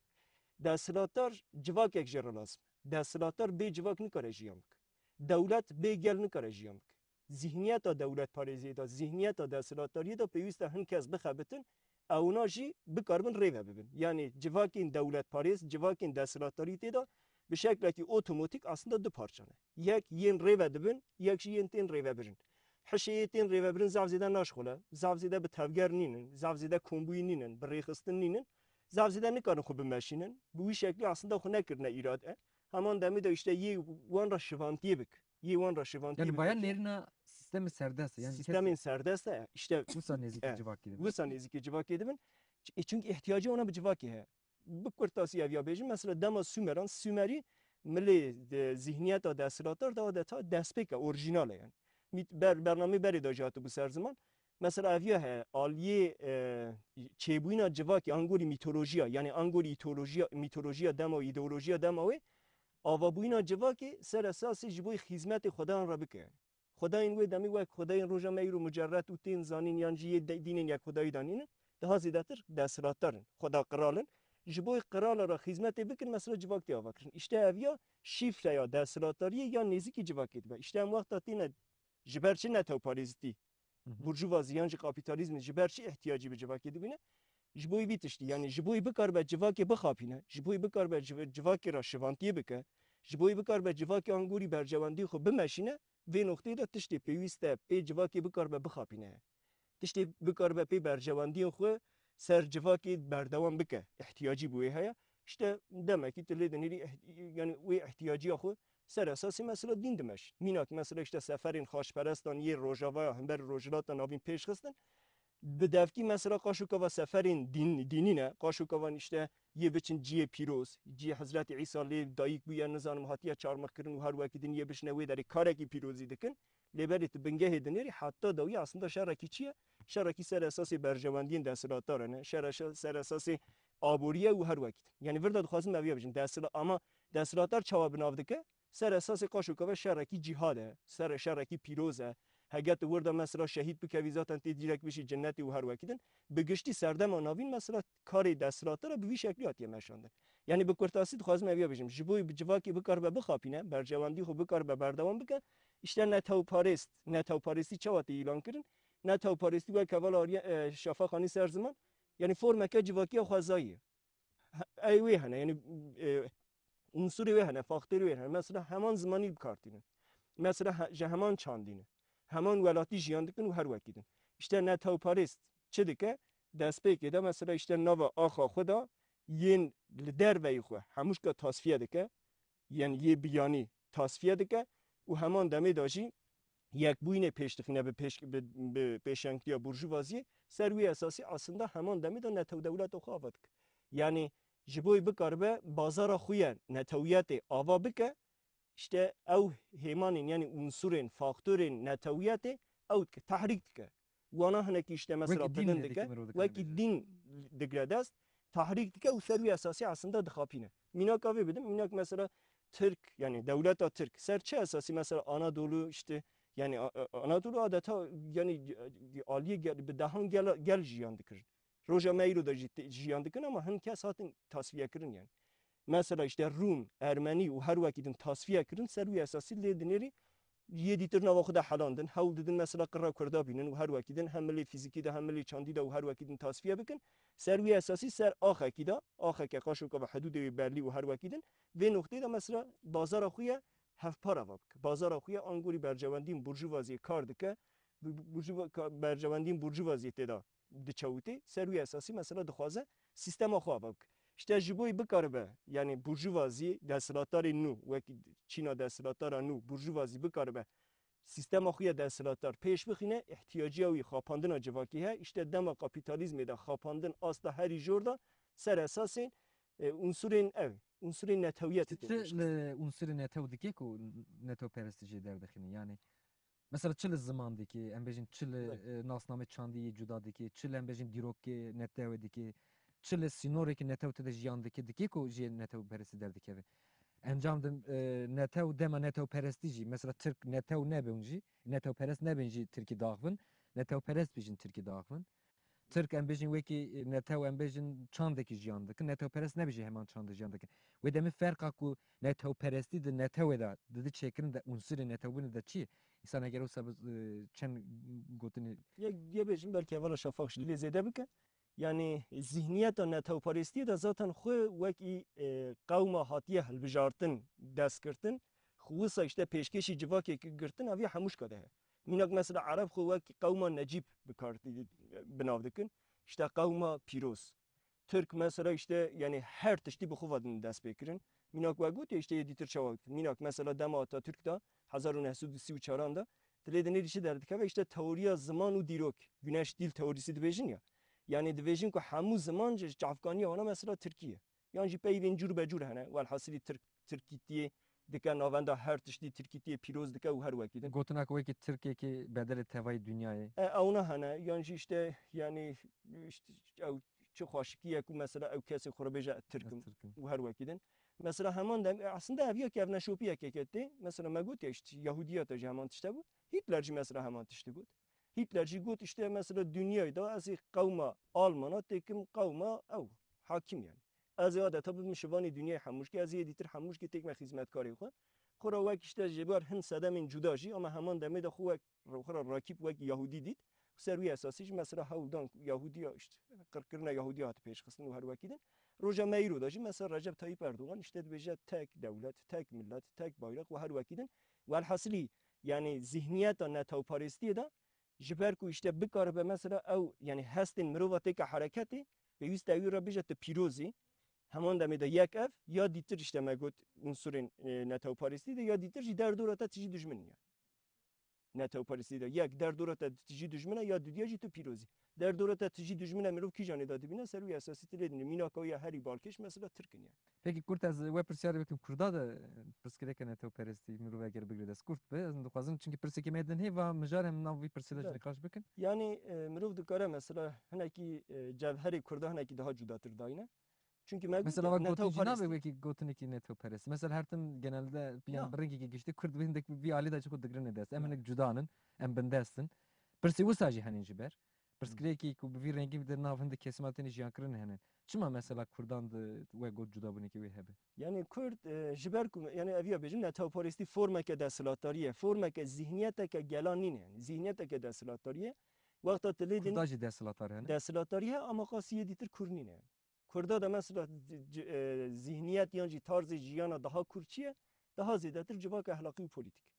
Desthilatdar civakek jê re lazim. Desthilatdar bê civak nikare jiyan bike. Dewlet bê gel nikare jiyan bike. Zihniyeta dewletparêziyê de, zihniyeta desthilatdariyê de pêwîst e hin kes bixebitin, ewna jî bikaribin rêve bibin. Yanî civakên dewletparêz, civakên desthilatdarî tê de bi şeklekî otomatîk aslında du parça ne. Yek yên rêve dibin, yek jî yên tên rêvebirin. Hişê yê tên rêvebirin zaf zêde naşxule, zaf zêde bi tevger nînin, zaf zêde kombûyî nînin, bi rêxistin nînin, zaf zêde nikarin xwe bimeşînin. Bi wî şeklî aslında xwe nekirine îrade. Heman demê de işte yê wan re şivantiyê bik. Yê wan re şivantiyê Yani bik. Bayan nêrina sistemê serdest e. Yani Sistemên serdest e. İşte wisa nêzîkî e, civakê dibin. Wisa nêzîkî civakê dibin. Ç-, e, çünkü ihtiyacı ona bi civakê heye. Bi kurtasî ev ya bêjim, mesela dema Sumeran, Sumerî milê de, zihniyeta desthilatdar de adeta destpêk e, orîjînal e yani. Mît-, ber-, bernameyê berê de jî hatibû ser ziman. Mesela ev ya heye, aliyê, e, çêbûyîna civakê, angorî mîtolojiya, yani angorî îtolojiya, mîtolojiya dema wê, îdeolojiya dema wê, avabûyîna civakê ser esasê ji bo xîzmetê xwedan re bike. Xwedayên wê demê wek xwedayên roja me îro mucerret û tên zanîn yan jî yê de-, dînên yekxwedayî de nînin, daha zêdetir desthilatdar in, xweda qral in. Ji bo qirala re xîzmetê bikin, mesela civak tê avakirin. Îşte ev ya şîfreya desthilatdariyê ya nêzîkî civakê dibe. Îşte em wexta têne ji ber çi netewparêzitî, Hı hı. burjuvazî yan jî kapîtalîzmê ji ber çi ihtiyacî bi civakê dibîne? Ji bo vî tiştî, yani ji bo bikaribe civakê bixapîne, ji bo bikaribe civ-, civakê re şivantiyê bike, ji bo bikaribe civakê angorî berjewendiyê xwe bimeşîne, vê noqteyê de tiştê pêwîst e pê civakê bikaribe bixapîne. Tiştê bikaribe pê berjewendiyên xwe ser civakê berdewam bike. Ihtiyacî bi wê heye. İşte demekî tu lê dinêrî iht-, yani wê ihtiyacîya xwe ser esasê mesela dîn dimeşîn. Mînak mesela işte seferên xaçperestan yê Rojavaya hember Rojhilata Navîn pêş xistin. Bi devkî mesela qaşokava seferên dîn, dînî ne. Qaşokavan işte yê biçin ciyê pîroz, ciyê Hezretî Îsa lê dayik bûye, nizanim hatiye çarmixkirin û her wekî din yê biçine wê derê karekî pîrozî dikin. Lê berê tu bingehê dinêrî, heta dawî aslında şerekî çi ye? Şerekî ser esasê berjewendiyên desthilatdar e, ne? Şere-, şe-, ser esasê aboriye û her wekî din. Yani vir de dixwazim ev ya bijim. Desthila-, ama desthilatdar çawa bi nav dike? Ser esasê qaşokava şerekî cîhad e, ser şerekî pîroz e. Hege tu wir de mesela şehîd bikevî, zaten tê dîrek bişî cinnetê û her wekî din. Bi giştî serdema navîn mesela karê desthilatdar e bi vî şeklî hatiye meşandin. Yani bi kurtasî dixwazim ev ya bijim. Ji bo bi civakê bikaribe bixapîne, berjewendî xwe bikaribe berdewam bike, işte netewparêst, netewparêstî çawa tê îlan kirin? Netewparêstî wek heval Arya, e, Şafaq anî ser ziman, yani formeke civakiya xwezayî ye. He-, ey wê hene, yani, e, unsurê wê hene, faktorê wê hene. Mesela heman zimanî bi kar tînin. Mesela he-, ji heman çandî ne. Heman welatî jiyan dikin û her wekî din. İşte netewparêst çi dike? Destpêkê de mesela işte nava axa xwe de yên li derveyî xwe hemûşka tasfiye dike. Yên yê biyanî tasfiye dike û heman demê de jî yekbûyînê pêş dixîne bi pêş-, bi, bi pêşengtiya burjuvaziyê. Ser wî esasî aslında heman demê de netew dewleta xwe ava dike. Yani ji bo bikaribe bazara xwe ye netewiyetê ava bike, işte ew hêmanên, yani unsurên, faktorên netewiyetê ew dike, tehrîk dike. Wana hinekî işte mesela Wekî dîn pidin dike, dike, mirov dike wekî bêje. Dîn digre dest, tehrîk dike û ser wî esasî aslında dixapîne. Mînaka vê bidim, mînak mesela Tirk, yani dewleta Tirk, ser çi esasî mesela Anadolu işte, yani A-, A-, Anadolu adeta yani aliyê gel, bi dehan gel, gel jiyan dikirin. Roja me îro de jî te-, jiyan dikin ama hin kes hatin tasfiye kirin yani. Mesela işte Rûm, Ermenî û her wekî din tasfiye kirin, ser wî esasî lê dinêrî yê dîtir nava xwe de helandin. Hewl didin mesela qirra Kurda bînin û her wekî din hem milê fîzîkî de hem milê çandî de û her wekî din tasfiye bikin. Ser wî esasî ser axekî de, axeke qaşokava hidûdê wê belî û her wekî din, vê noqteyê de mesela bazara xwe ye hevpar ava bike. Bazara xwe ye angorî berjewendiyên burjuvaziyê kar dike, bu-, bu-, burjuva-, ka-, berjewendiyên burjuvaziyê tê de diçewitê, ser wî esasî mesela dixwaze sîstema xwe ava bike. İşte ji bo bikaribe, yani burjuvazî, desthilatdarê nû, wek çîna desthilatdara nû, burjuvazî bikaribe sîstema xwe ya desthilatdar pêş bixîne, ihtiyaciya wî xapandina civakî heye. İşte dema kapîtalîzmê de xapandin asta herî jor de ser esasên, e, unsurên ev, unsurên netewiyetê tê Çi pêş li unsurê netew dike ku netewperestî jê derdixîne? Yani, mesela çi li ziman dike, em bêjin çi li, Belê. e, nasnamê çandî yê cuda dike, çi li em bêjin dîrokê netewê dike, çi li sînorekî netew tê de jiyan dike, dike ku jê netewperestî derdikeve. Encam de, e, netew dema netewperestî jî, mesela Tirk netew nebin jî, netewperest nebin jî Tirkî daxivin, netewperest bijin Tirkî daxivin. Tirk em bêjin wekî, e, netew em bêjin çandekî jiyan dikin, netewperest nebin jî heman çandê jiyan dikin. Wê demê ferqa ku netewperestî di netewê de didi çêkirin de unsurê netewbûnê de çi ye? Însan eger wisa bi, e, çend gotinê Yek, yê bêjim belkî hevala Şafaq jî lê zêde bike. Yani zihniyeta netewperestiyê de zaten xwe wekî, e, qewma hatiye hilbijartin, dest girtin. Xwe wisa işte pêşkêşî civakê ki-, girtin, ev ya hemûşka de heye. Mînak mesela Ereb xwe wek qewma necîb bi kar, bi nav dikin. İşte qewma pîroz. Tirk mesela işte, yani her tiştî bi xwe ve din dest pê kirin. Mînak we gotiye işte yê dîtir çawa. Mînak mesela dema Atatürk de hezar û neh sed û sî û çaran de, dilê dinê dişi derdikeve işte teoriya ziman û dîrok. Güneş dil teorisi dibêjin ya. Yani dibêjin ku hemû ziman ji çavkaniya wana mesela Tirkiye. Yan jî peyvên cûr be cûr hene. Welhasilî Tirk, Tirkîtiyê dike navenda her tiştî, Tirkîtiyê pîroz dike û her wekî din. Gotina ku wekî Tirkekî bedelê tevayî dinyayê. E, ewna hene. Yan jî işte, yani, işte, ew çi xweşikî ye ku mesela ew kesê xwe re bêje Tirk im. Ez Tirk im. Û her wekî din. Mesela heman dem, e, aslında ev ya kevneşopiyekê ke tê. Mesela me gotiye işte Yahudiyata jî heman tişte bû. Hitler jî mesela heman tiştî got. Hitler jî got işte mesela dinyayê de ez ê qewma Almana têkim qewma ew hakim yani. Ez ê adeta bibim şivanê dinyayê hemûşkê, ez ê dîtir hemûşkê têkme xizmetkarê xwe. Xwe re wek işte ji ber hin sedemên cuda jî, ama heman demê de xwe wek, xwe re rakîb wek Yahudî dît. Ser wî esasî jî mesela hewldan Yahudiya işte, qirkirina Yahudiya hate pêşxistin û her wekî din. Roja me îro de jî mesela Recep Tayyip Erdogan işte dibêje tek dewlet, tek millet, tek bayrak û her wekî din. Welhasilî, yani zihniyeta netewparêstiyê de ji ber ku işte bikaribe mesela ew, yani hestên mirova têke hereketê, pêwîst e wî re bêje tu pîroz î. Heman demê de yek ev, ya dîtir işte me got unsurên, e, netewparêstî de, ya dîtir jî derdora te tijî dijmin in yani. Netewparêstî de yek derdora te tijî dijmin e, ya dudiya jî tu pîroz î. Derdora te tijî dijmin e, mirov kîjanê de dibîne, ser wî esasî tu lê dinê. Mînaka wî ya herî balkêş mesela Tirk in yani. Peki Kurt, ez we pirsyarê bikim, Kurda de pirsgirêke netewperestî mirov eger bigire dest, Kurd be, ez dixwazim, çünkü pirseke me din hê, va mijar em nav vî pirsê de jî Belê. Niqaş bikin. Yani, e, mirov dikare mesela hinekî, e, cevherê Kurda hinekî daha cudatir dayne. Çünkü me Mesela gotiye, va gotin jî nabe netewperestî. Wekî gotinekî netewperestî. Mesela her tim genelde, yani, Ya. Bi rengekî giştî Kurd bi hindek vî alî de jî xwe digirine dest. Em Ya. Hinek cudanin, em bindestin. Pirsê wisa jî henin ji ber. Pirsgirêkî ku bi vî rengî di nav hindek kesîma tenê jiyan kirin hene. Çima mesela Kurdan di we got cudabûnekî wê hebe? Yani Kurd, e, ji ber ku, yani ev ya bêjim, netewparêstî formeke desthilatdarî ye, formeke zihniyeteke gelan nîne yani. Zihniyeteke desthilatdarî ye. Wexta tu lê din Kurda jî desthilatdar hene. Desthilatdarî he, ama qasî yê dîtir Kurd nîne yani. Kurda de mesela c-, c-, e, zihniyet yan jî tarzê jiyana daha Kurd çi ye? Daha zêdetir civaka ehlaqî û polîtîk.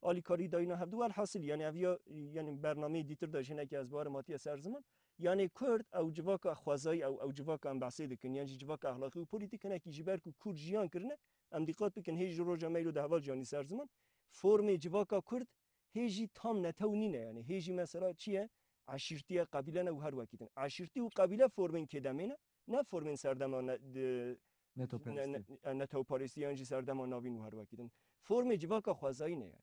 Alîkarî dayîna hevdu, welhasil, yani ev ya, yani bernameyê dîtir de jî hinekî ez bawerim hatiye ser ziman. Yani Kurd ew civaka xwezayî, ew, ew civaka em behsê dikin, yan jî civaka exlaqî û polîtîk hinekî ji ber ku Kurd jiyan kirine, em dîqat bikin, hê ji roja me îro de heval jiyanî ser ziman. Formê civaka Kurd hê jî tam netew nîne, yani hê jî mesela çi ye? Eşîrtî ye, qebîle ne û her wekî din. Eşîrtî û qebîle formên kêdemê ne, ne formên serdema ne, di-, Netewperestî. Ne, ne, e, netewperestî yan jî serdema navîn û her wekî din. Formê civaka xwezayî ne ye.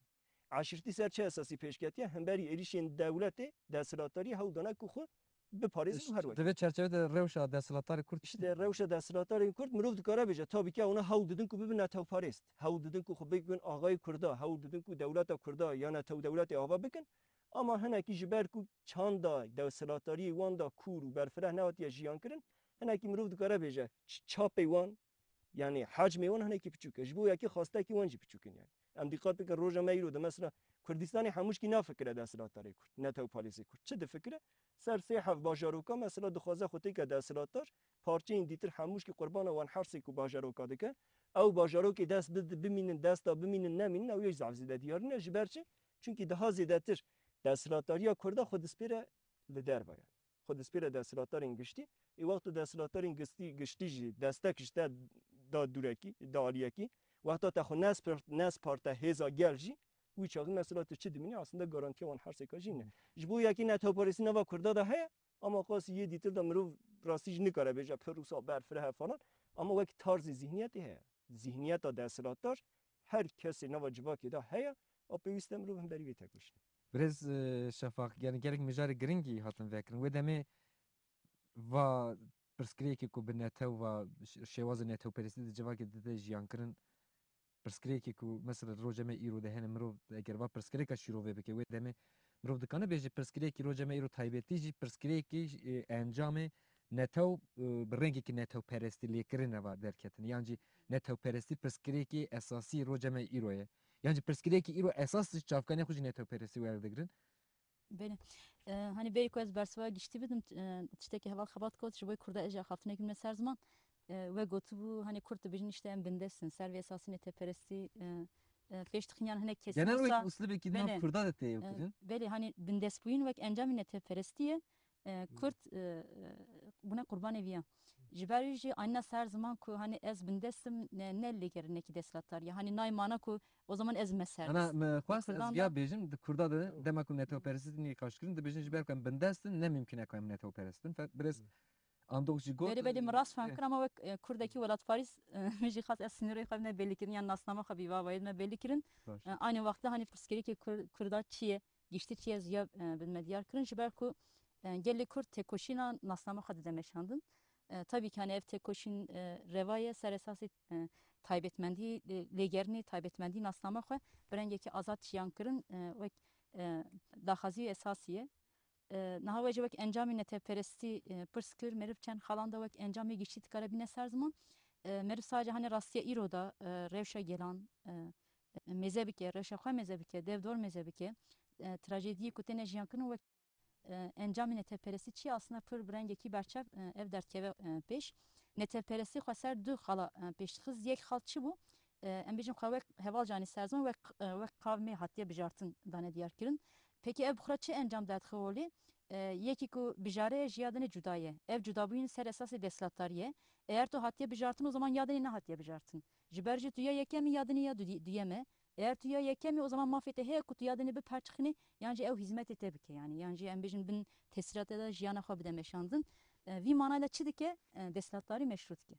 Eşîrtî ser çi esasî pêş ketiye? Hemberî êrîşên dewletê, desthilatdarî hewl dane ku xwe biparêzin û her wekî. Di vê çerçeve de rewşa desthilatdarê Kurd çi İşte dibîne? Rewşa desthilatdarên Kurd mirov dikare bêje, tabii ki ewna hewl didin ku bibin netewperest. Hewl didin ku xwe bikin axayê Kurda, hewl didin ku dewleta Kurda ya netew dewletê ava bikin. Ama hinekî ji ber ku çanda desthilatdariyê wan da kûr û berfireh nehatiye jiyan kirin, hinekî mirov dikare bêje ç-, çapê wan, yani hacmê wan hinekî piçûk e. Ji bo yekê xastekî wan jî piçûk in yani. Em dîqat bikin, roja me îro de mesela Kurdistanê hemûşkî nafikire desthilatdarê Kurd, netewparêzê Kurd. Çi difikire? Ser sê heft bajaroka mesela dixwaze xwe têke desthilatdar, parçeyên dîtir hemûşkî qurbana wan hersê ku bajaroka dike. Ew bajarokê dest bid-, bimînin, desta bimînin nemînin, ew yek zaf zêde diyar nîne. Ji ber çi? Çunkî daha zêdetir desthilatdariya Kurda xwe dispêre li derve ye. Xwe dispêre desthilatdarên giştî. Ê wexta desthilatdarên giştî, giştî jî destek ji te da dûrekî, da aliyekî. Wexta te xwe nespart-, nesparte hêza gel jî, wî çaxî mesela tu çi dimînî? Aslında garantiya wan hersêka jî nîne. Ji bo yekî netewperestî nava Kurda de heye, ama qasî yê dîtir de mirov rastî jî nikare bêje pir wisa berfireh e falan. Ama wek tarzê zihniyetê heye. Zihniyeta desthilatdar her kesê nava civakê de heye, a pêwîst e mirov hemberî vê tekoşîne. Birêz, e, Şefaq, yani gelek mijarê giringî hatin vekirin. Wê demê va pirsgirêkê ku bi netew va ş-, şêwazê netewperestî di civakê de tê jiyan kirin, pirsgirêkê ku mesela roja me îro de hene, mirov eger va pirsgirêka şîrovê bike, wê demê mirov dikane bêje pirsgirêkî roja me îro taybetî jî pirsgirêkî, e, encamê netew, e, bi rengekî netewperestî lêkirin e va derketin. Yan jî netewperestî pirsgirêkî esasî roja me îro ye. Yan jî pirsgirêkî îro esas ji çavkanê xwe jî netewperestî werdigrin. Belê. E, hani berî ku ez bersiva giştî bidim, e, tiştekî heval xebat kot, ji bo Kurda ez jî axaftinekî min ser ziman. E, we gotibû, hani Kurd dibêjin işte em bindest in, ser vê esasî netewperestî, e, e, pêş dixin yan hinek kesî Genel wisa wek uslubekî di nav belê, Kurda de tê e, kirin. Belê, hani bindestbûyîn wek encamî netewperestî ye. E, Hı. Kurd, e, e, bûne qurbanê viya. Ji ber wî jî anîna ser ziman ku hani ez bindest im, ne, ne lêgerinekî desthilatdar ye. Hani nayê mana ku o zaman ez me serdest. Ana, me xwest ez Kurdan viya da bêjim, di Kurda de dema ku netewperestî nîqaş kirin, dibêjin ji ber ku em bindest in, ne mimkun e ku em netewperest bin. Fe-, birêz Hı. Andox jî got, Belê, belê, min rast fam e, kir, ama wek, e, Kurdekî welatparîz, e, min jî xwest ez sînorê xwe me belî kirin, yan nasnama xwe bî va wayê me belî kirin. Baş. E, aynı wextda hani pirsgirêkê Kur-, Kurda çi ye, giştî çi ye, ziya, e, bi me diyar kirin. Ji ber ku, e, gelê Kurd têkoşîna nasnama xwe dide meşandin. E, tabii ki hani ev têkoşîn, e, reva ye, ser esasê, e, taybetmendî, e, lêgerînê taybetmendî nasnama xwe bi rengekî azad jiyan kirin, e, wek, e, daxwazî esasî ye. E, niha we jî wek encamê netewperestî, e, pirs kir, meriv çend xalan de wek encamê giştî dikare bîne ser ziman. E, meriv sadece hani rastiya îro de, e, rewşa gelan, e, mêze bike, rewşa xwe mêze bike, dev dor mêze bike, e, trajediyê ku têne jiyan kirin wek, e, encamê netewperestî çi ye, aslında pir bi rengekî berçav, e, ev derdkeve, e, pêş. Netewperestî xwe ser du xala, e, pêş dixist. Yek xal çi bû? E, em bêjin xwe wek heval canî ser ziman, wek, e, wek qavmê hatiye bijartin dane diyar kirin. Pekî ev bi xwe re çi encam derdixe holê? E, yekî ku bijare ye ji ya dinê cuda ye. Ev cudabûyîn ser esasê desthilatdarî ye. Eger tu hatiye bijartin, o zaman ya dinê nehatiye bijartin. Ji ber jî tu ya yekem î, ya dinê ya du-, duyem e. Eger tu ya yekem î, o zaman mafê te heye ku tu ya dinê biperçixînî, yan jî ew hîzmetê te bike, yanî, yan jî em bêjin bin tesîratê de jiyana xwe bide meşandin. E, vî manayla çi dike? E, desthilatdarî meşrû dike.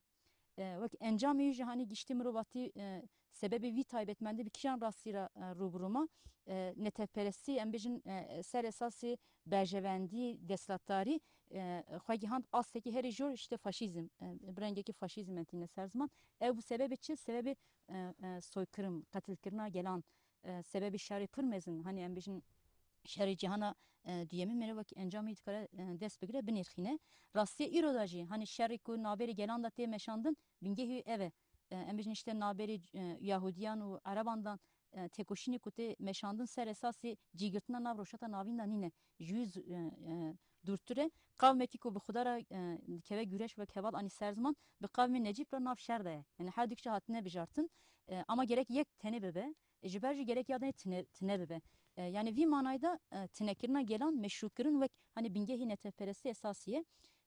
E, wek encamê wî jî hanî giştî mirovatî, e, sebebê vî taybetmendî bi kîjan rastî re, e, rû bi rû ma? E, netewperestî, em bêjin, e, ser esasê berjevendî desthilatdarî, e, xwe gihand astekî herî jor, işte faşîzm, e, bi rengekî faşîzm em tîne ser ziman. Ew bû sebebê çi? Sebebê, e, e, soykirim, qetilkirina gelan, e, sebebê şerê pir mezin, hanî em bêjin şerê cîhana, e, duyemî, merê wekî encamê dikare, e, dest bigire, binêrxîne. Rastiya îro de jî, hanî şerê ku navberê gelan de tê meşandin, bingehî ev e. E, em bêjin işte navberê, e, Yahudiyan û Ereban de, e, têkoşînê ku tê meşandin ser esasê cîgirtina nav Rojhilata Navîn de nîne. Ji wî z-, e, e, dûrtir e. Qavmekî ku bi Xuda re, e, dikeve güreş wek heval anî ser ziman, bi qavmê Necîb re nav şer de ye. Yani her du kişî hatine bijartin. E, ama gerek yek tenê bibe. E, ji ber jî gerek ya dinê tine, tine bibe. E, yani vî manayda, e, tinekirina gelan meşrûkirin wek, hani, bingehî netewperestî esasî ye.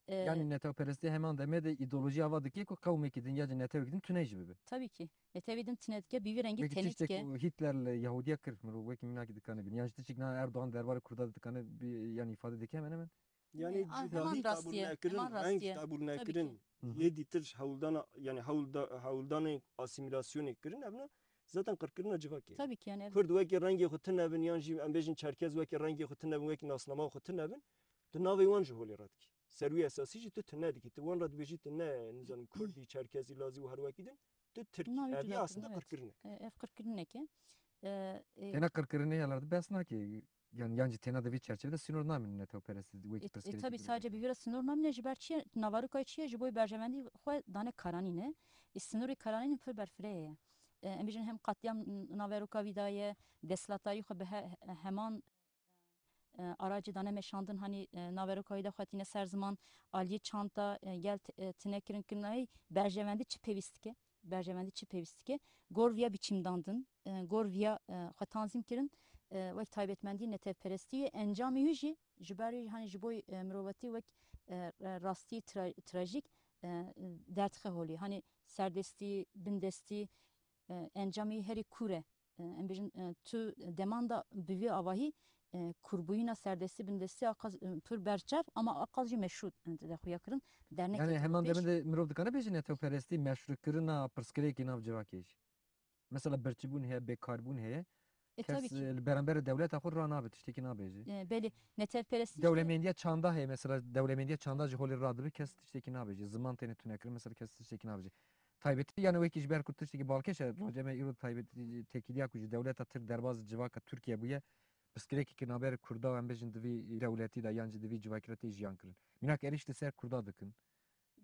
E, Yani netewperestî heman demê de îdeolojiya ava dike ku qewmekî din ya jî netewekî din tune jî bibe. Tabii ki. Netewê din tine dike, bi vî rengî Wekî tenê tiştek dike. ku Hitler li Yahudiya kir, mirov wekî mînakî dikane bîne. Yan jî tiştek na Erdogan derbarê Kurda de dikane, bi, yani îfade dike hemen hemen. Yani E, a, cudahî heman rastiye, qebûl nekirin, heman reng rastiye. qebûl Tabii nekirin, ki. Hı hı. yê dîtir hewldana, yani hewlda-, hewldanê asîmîlasyonê kirin, evna zaten qirkirina civakê. Tabii ki, yani, evet. Kurd wekî rengê xwe tune bin, yan jî em bêjin Çerkez wekî rengê xwe tune bin, wekî nasnama xwe tune bin, tu navê wan ji holê radikî. Ser wî esasî jî tu tune dikî. Tu wan re dibêjî tu ne, nizanim, Kurdî, Çerkezî, Lazî û her wekî din, tu Tirk î. Navê Ev cuda yê aslında kirin, evet. qirkirine. E, ev qirkirinek e. E, e, Têna qirkirinê ya lerde behs nake. Yani yan jî têna di vî çerçevede sînor namînin netewperestî wekî E, e, pirsgirêkê tabii, durumu. sadece bi vî re sînor namîne, ji ber çi ye? Navarokayê çi ye? Ji bo berjevendî xwe dane karanîn e. E, sînorê karanîn pir berfireh ye. E, em bêjin hem qatliam naveroka vî daye, desthilatdarî xwe bi he-, heman, e, aracê dane meşandin, hanî, e, naverokayê de xwe tîne ser ziman, aliyê çanta, e, gel t-, e, tine kirin, kirin, ay, berjevendî çi pêwîst dike? Berjevendî çi pêwîst dike? Gor viya biçîmdandin, e, gor viya, e, xwe tanzîm kirin, e, wek taybetmendî netewperestî ye. Encamê wî jî ji ber wî, hani ji bo, e, mirovatî wek, e, rastî tra-, trajîk, e, derdixe holê. Hani serdestî, bindestî, e, encamê wî herî kûr e. E, em bêjin, e, tu deman da bi vî avahî, e, kûrbûyîna serdestî, bindestî a qas, e, pir berçav, ama a qas jî meşrû, e, de xuya kirin. Dernek Yani heman demin de mirov dikare bêje netewperestî meşrûkirina pirsgirêkê nav civakê jî. Mesela birçîbûn heye, bêkarbûn heye. E, Kes, tabii ki. e, li beramberê dewleta xwe ranabe, tiştekî nabêje. E, belê, netewperestî işte Dewlemendiya çanda heye, mesela dewlemendiya çanda ji holê radibe, kes tiştekî nabêje. Ziman têne tunekirin, mesela kes tiştekî nabêje. Taybetî, yani wekî ji ber ku tiştekî balkêş e, rojeme îro taybetî têkiliya ku ji dewleta Tirk derbas civaka Tirkiye bûye, pirsgirêkeke navber Kurda, em bêjin, di vî dewletî de yan jî di vî civakî re tê jiyan kirin. Mînak êrîş li ser Kurda dikin.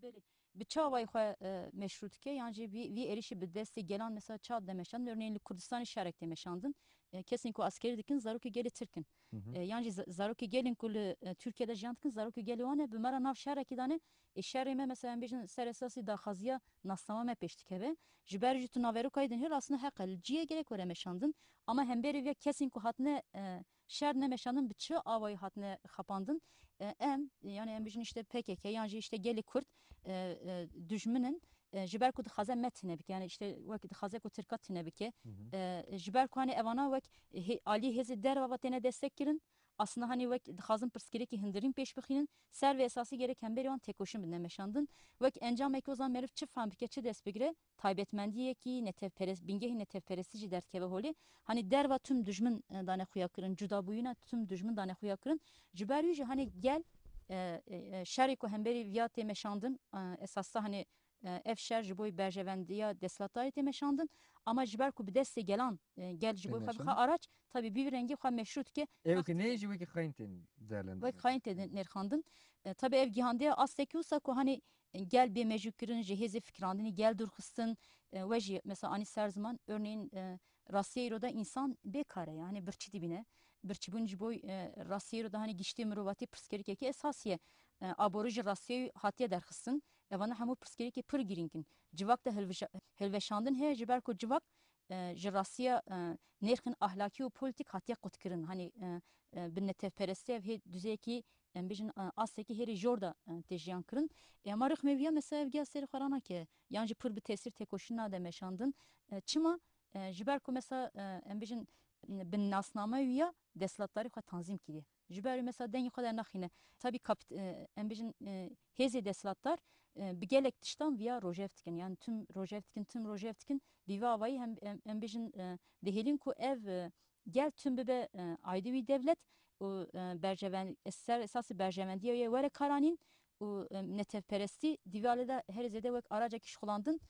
Belê. Bi çi awayî xwe, e, meşrû dike, yan jî vî, vî êrîşî bi destê gelan mesela çawa de meşandin? Örneğin li Kurdistanê şerek tê meşandin. e, kesên ku askerî dikin zarokê gelê Tirk in. Hı hı. E, yan jî za-, zarokê gelên ku li, e, Tirkiye de jiyan dikin, zarokê gelê wan e, bi me re nav şerekî dane. Ê şerê me, mesela, em bêjin ser esasî daxwaziya nasnama me pêş dikeve. Ji ber jî tu naveroka yê dinihêr, aslında heq e, li cihê gerek were meşandin. Ama hemberî vê kesên ku hatine, e, şer nemeşandin, bi çi awayî hatine xapandin? E, em, yani em bêjin işte P K K yan jî işte gelê Kurd, e, e, dijmin in. E, ji ber ku dixwaze me tune bike, yani işte wek dixwaze ku Tirka tune bike. Hı hı. E, ji ber ku hani evana wek hê-, alî hêzê derva ve têne destek kirin. Aslında hani wek dixwazin pirsgirêkî hundirîn pêş bixînin, ser vê esasî gerek hemberî wan têkoşîn bidine meşandin. Wek encamekî o zaman meriv çi fehm bike, çi dest bigire, taybetmendiyekî netewperes-, bingehî netewperestî jî derdikeve holê. Hani derva tüm dijmin, e, dane xuya kirin, cudabûyîna tüm dijmin dane xuya kirin. Ji ber wî jî hani gel, e, e, e, şerê ku hemberî viya tê meşandin, e, esas da hani, e, ev şer ji bo berjevendiya desthilatdarê tê meşandin. Ama ji ber ku bi destê gelan, e, gel ji bo xwe bixe araç, tabii bi vî rengî xwe meşrû dike. Ew ki neyê jî wekî xayîn tên değerlendirin. Wek xayîn tê nirxandin. E, tabii ev gihandiye astekî wisa ku hani gel bê mejûkirin, ji hêzê fikirandinî gel dûrxistin, e, we jî mesela anî ser ziman, örneğin, e, rastiyê îro de însan bê kar e, yani birçî dibîne. Birçîbûn ji bo, e, rastiyê îro de hani giştê mirovatî pirsgirêkekî esasî ye. E, aborî ji rastiyê hatiye derxistin. Evana hemû pirsgirêkê pir girîng in. Civak de hilvija-, hilveşandin heye ji ber ku civak, e, ji rastiya, e, nêrxên ahlakî û polîtîk hatiye qutkirin. Hani, e, e, bi netewperestî ev hê duzeyekî em bêjin, e, astekî hêrî jor de, e, tê jiyan kirin. Ê, ama rixmê viya mesela ev giya serê xwe ranake, yan jî pir bi tesîr têkoşîn nade meşandin. E, çima? E, ji ber ku mesela, e, em bêjin, bi nasname wiya desthilatdarî xwe tanzîm kiriye. Ji ber wî mesela dengê xwe dernaxîne. Tabii kapit-, e, em bêjin, e, hêzê desthilatdar, e, bi gelek tiştan viya rojev dikin. Yani tüm rojev dikin, tüm rojev dikin. Bi vî avayî hem, em, em bêjin, e, dihêlin ku ev, e, gel tüm bibe, e, aydê wî dewlet û, e, berjeven-, ser esasî berjevendiya wê were karanîn û, e, netewperestî di vî alî de herî zêde wek aracekî şixulandin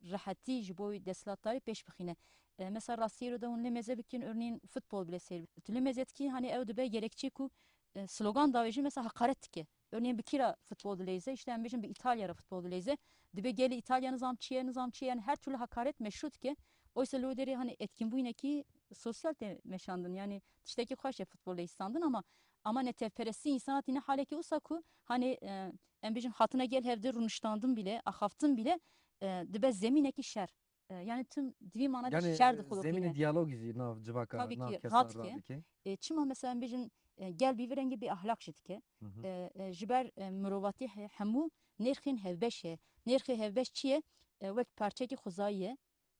rehetî ji bo wî desthilatdarî pêş bixîne. E, mesela rastiyê ro de hûn lê mêze bikin, örneğin futbol bile seyr bikin. Tu lê mêze dikî, hani ew dibe gerekçe ku, e, slogan davêjin mesela hakaret dike. Örneğin bi kî re futbol dileyze, işte em bêjin bi Îtalya re futbol dileyze. Dibe gelê Îtalya nizam çi ye, nizam çi ye, yani her türlü hakaret meşru dike. Oysa li wê derê hani etkinbûnekî sosyal tê meşandin. Yani tiştekî xweş e futbol leyîstandin ama, ama netewperestî însana tîne halekî wisa ku hani, e, em bêjin hatine gel hevdê rûniştandin bile, axaftin bile, e, dibe zemînekî şer. E, yani tim di vî manada şer dixulqîne. Zemînê diyalogî jî nav civaka, nav kesa radike. E, çima mesela em bêjin, e, gel bi vî rengî bê ahlak jî dike. Hı hı. E, e, ji ber, e, mirovatî he-, hemû nêrxên hevbeş heye. Nêrxê hevbeş çi ye? E, wek parçekî xwezayî ye,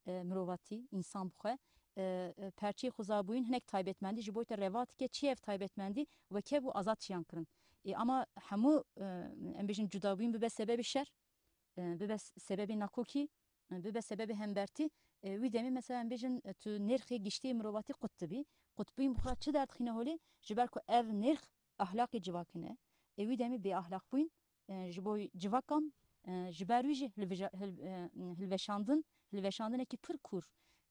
e, mirovatî, însan bixwe. E, e, perçeyê xwezabûyîn hinek taybetmendî ji bo te reva dike. Çi ye ev taybetmendî? Weke bû azad jiyan kirin. E, ama hemû, e, em bêjin cudabûyîn bibe sebebê şer, e, bibe s-, sebebê nakokî, e, bibe sebebê hembertî, e, wî demê mesela em bêjin, e, tu nêrxê giştî mirovatî qut dibî. Qutbûyîn bi xwe çi derdixîne holê? Ji ber ku ev nêrx ahlaqê civakî ne. E, wî demê bêahlaqbûyîn, e, ji bo civakan, e, ji ber wî jî hilvija-, hil-, e, hilveşandin, hilveşandinekî pir kûr,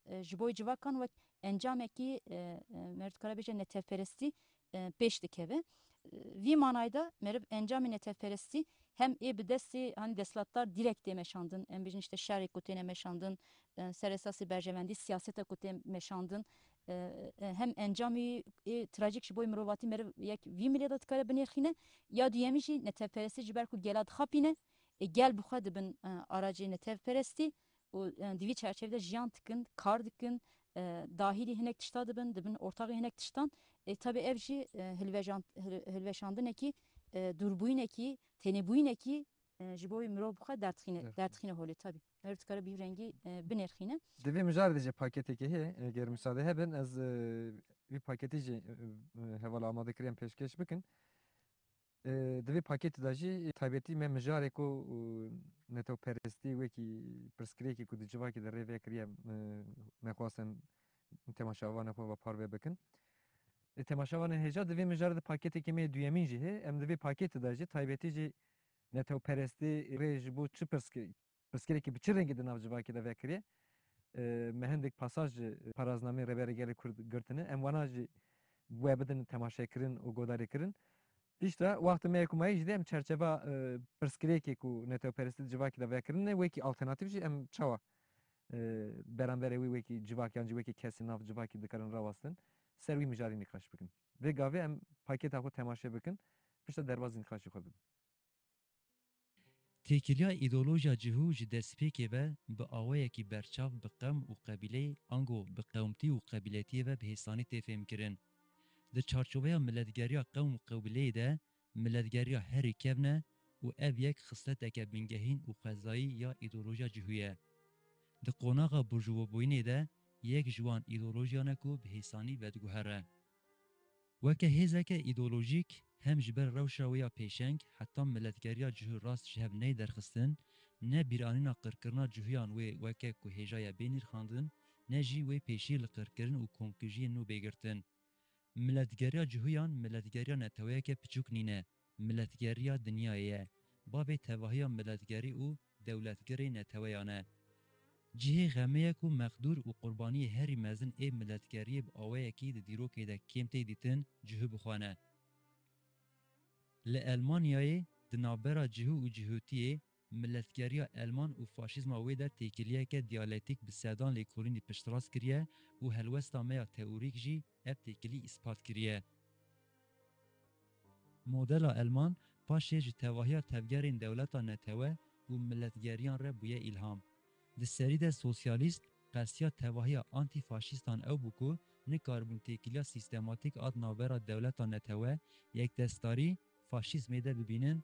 e, ji bo civakan wek encamekî, e, e, meriv dikare bêje netewperestî, e, pêş dikeve. E, vî manayê de meriv encamê netewperestî hem ê bi destê, hani, desthilatdar direkt tê meşandin, em bêjin işte şerê ku têne meşandin, e, ser esasê berjevendî siyaseta ku tê meşandin, e, e, hem encamê ê trajîk ji bo mirovatî meriv yek vî milê de dikare binêrxîne, ya duyemî jî netewperestî ji ber ku gela dixapîne, e, gel bi xwe dibin, e, aracê netewperestî û, e, di vî çerçevê de jiyan dikin, kar dikin, e, dahîlî hinek tişta dibin, dibin ortaxê hinek tiştan. E, tabi ev jî, e, hilvejan-, hil-, hilveşandinekî, e, dûrbûyînekî, tênêbûyînekî, e, ji bo wî mirov bi xwe derdixîne, derdixîne holê tabi. Her dikare bi rengî, e, binêrxîne. Di vê mijarê de jî paketekê heye, eger müsaade hebin, ez, e, vî paketî jî, e, e, hevala amade kiriye em pêşkêş bikin. E, di vê paketê de jî taybetî me mijarê ku, e, netewperestî wekî pirsgirêkê ku di civakê de rê vekiriye, e, me xwest em temaşevanê xwe ve parve bikin. E, temaşevanên hêja, di vê mijarê de paketekê me yê duyemîn jî heye. Em di vê paketê de jî taybetî jî netewperestî rê ji bo çi pirsgirêk pirsgirêkê bi çi rengî di nav civakê de vekiriye? E, me hindek pasaj ji paraznameyê Rêberê Gelê Kurd girtine. Em wana jî we bidin temaşekirin û godarîkirin. Piştre wextê me yê ku mayî jî de em çerçeva, e, pirsgirêkê ku netewperestî di civakê de vekirine, wekî alternatîf jî em çawa e, beramberê wî wekî civak yan jî wekî kesê nav civakî dikarin rawastin, ser wî mijarî nîqaş bikin. Vê gavê em pakêta xwe temaşe bikin, pişta derbazî nîqaşê xwe bibin. Têkiliya îdeolojiya cihû ji destpêkê ve bi awayekî berçav bi qewm û qebîleyê ango bi qewmtî û qebîletiyê ve bi hêsanî tê fêhmkirin. Di çarçoveya miletgeriya qewm û qebîleyê de miletgeriya herî kevn e û ev yek xisleteke bingehîn û xwezayî ya îdeolojiya cihû ye. Di qonaxa burjuvabûyînê de yek ji wan îdeolojiyan e ku bi hêsanî vediguhere. Weke hêzeke îdeolojîk hem ji ber rewşa wê ya pêşeng heta miletgeriya cihû rast ji hev neyê derxistin, ne bîranîna qirkirina cihûyan wê weke ku hêja ye bê nirxandin, ne jî wê pêşî li qirkirin û komkujiyên nû bê girtin. Miletgeriya cihûyan miletgeriya neteweyeke piçûk nîne, miletgeriya dinyayê ye. Bavê tevahiya miletgerî û dewletgirê neteweyan e. Cihê xemê ye ku mexdûr û qurbaniyê herî mezin ê miletgeriyê bi awayekî di dîrokê de kêm tê dîtin, cihû bi xwe ne. Li Elmanyayê di navbera cihû û cihûtiyê, miletgeriya Elman û faşîzma wê de têkiliyeke diyalektîk bi sedan lêkolînî piştrast kiriye û helwesta me ya teorîk jî ev têkilî îspat kiriye. Modela Elman paşê ji tevahiya tevgerên dewleta netewe û miletgeriyan re bûye îlham. Di serî de sosyalîst qestiya tevahiya antîfaşîstan ew bû ku nikaribûn têkiliya sîstematîk a di navbera dewleta netewe, yekdestarî, faşîzmê de bibînin,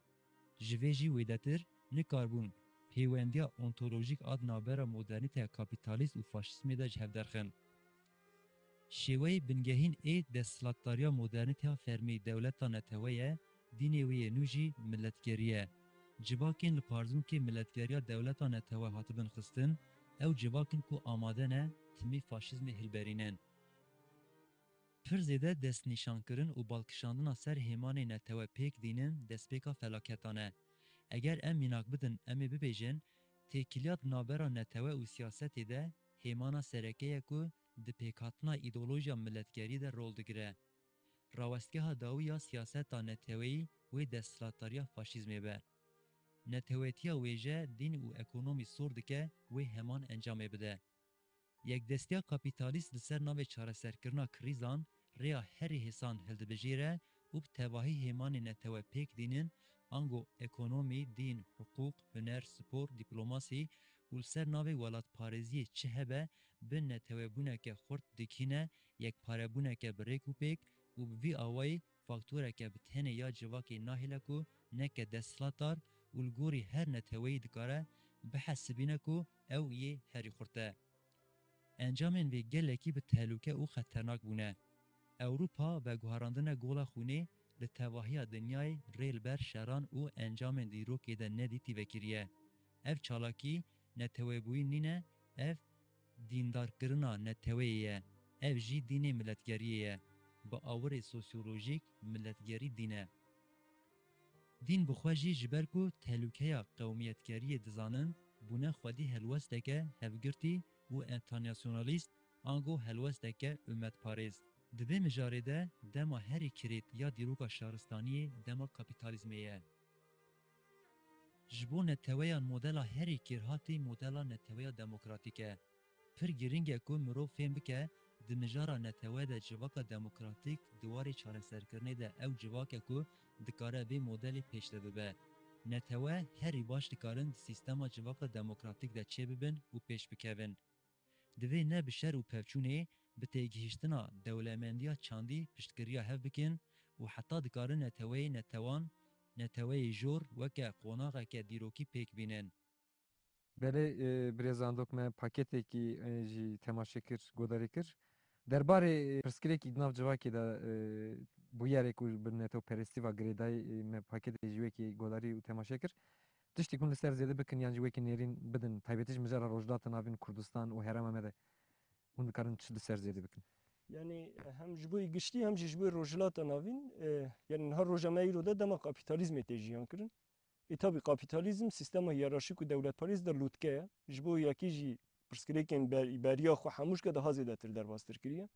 ji vê jî wêdetir nikaribûn pêwendiya ontolojîk a di navbera modernîteya kapîtalîst û faşîzmê de ji hev derxin. Şêweyê bingehîn ê desthilatdariya modernîteya fermî dewleta netewe ye, dînê wê yê nû jî miletgerî ye. Civakên li parzûnkê miletgeriya dewleta netewe hatibin xistin, ew civak in ku amade ne timî faşîzmê hilberînin. Pir zêde destnîşankirin û balkişandina ser hêmanê netewe pêk dînin destpêka felaketan e. Eger em mînak bidin, em ê bibêjin, têkiliya di navbera netewe û siyasetê de hêmana sereke ye ku di pêkhatina îdeolojiya miletgerî de rol digire. Rawestgeha dawî ya siyaseta neteweyî wê desthilatdariya faşîzmê be. Netewetiya wêje, dîn û ekonomî sor dike wê heman encamê bide. Yekdestiya kapîtalîst li ser navê çareserkirina krîzan rêya herî hêsan hildibijêre û bi tevahî hêmanê netewe pêk dînin, ango ekonomî, dîn, hiqûq, huner, spor, dîplomasî û li ser navê welatparêziyê çi hebe, bi netewebûneke xurt dikîne yekparebûneke bi rêk û pêk û bi vî awayî faktoreke bi tenê ya civakê nahêle ku neke desthilatdar û li gorî her neteweyî dikare bihesibîne ku ew yê herî xurt e. Encamên vê gelekî bi tehlûke û xeternak bûne. Ewropa veguherandine gola xwînê li tevahiya dinyayê rê li ber şeran û encamên dîrokê de nedîtî vekiriye. Ev çalakî netewebûyî nîne, ev dîndarkirina neteweyê ye, ev jî dînê miletgeriyê ye. Bi awirê sosyolojîk miletgerî dîn e. Dîn bi xwe jî ji ber ku tehlûkeya qewmiyetgeriyê dizanin, bûne xwedî helwesteke hevgirtî û enternasyonalîst, ango helwesteke umetparêz. Di vê mijarê de dema herî kirêt ya dîroka şaristaniyê dema kapîtalîzmê ye. Ji bo neteweyan modela herî kêrhatî modela neteweya demokratîk e. Pir girîng e ku mirov fêm bike, di mijara netewe de civaka demokratîk di warê çareserkirinê de ew civak e ku dikare vê modelê pêşde bibe. Netewe herî baş dikarin di sîstema civaka demokratîk de çêbibin û pêş bikevin. Divê ne bi şer û pevçûnê, bi têgihiştina dewlemendiya çandî piştgiriya hev bikin û heta dikarin neteweyê netewan, neteweyê jor weke qonaxeke dîrokî pêk bînin. Belê, e, birêz Andok me paketekî, e, jî temaşe kir, godarî kir. Derbarê, e, pirsgirêkî di nav civakê de, e, bûyerê ku bi netewperestî ve girêdayî, e, me paketê jî wekî godarî û temaşe kir. Tiştî ku hûn li ser zêde bikin yan jî wekî nêrîn bidin, taybetî ji mijara Rojhilata Navîn, Kurdistan û herêma me de hûn dikarin çi li ser zêde bikin? Yani hem ji bo giştî hem jî ji bo Rojhilata Navîn, e, yani niha roja me îro de dema kapîtalîzmê tê jiyan kirin. Ê tabî kapîtalîzm sîstema hiyerarşîk û dewletparêz de lûtke ye. Ji bo yekî jî pirsgirêkên ber-, beriya xwe hemû ji ke daha zêdetir derbastir kiriye.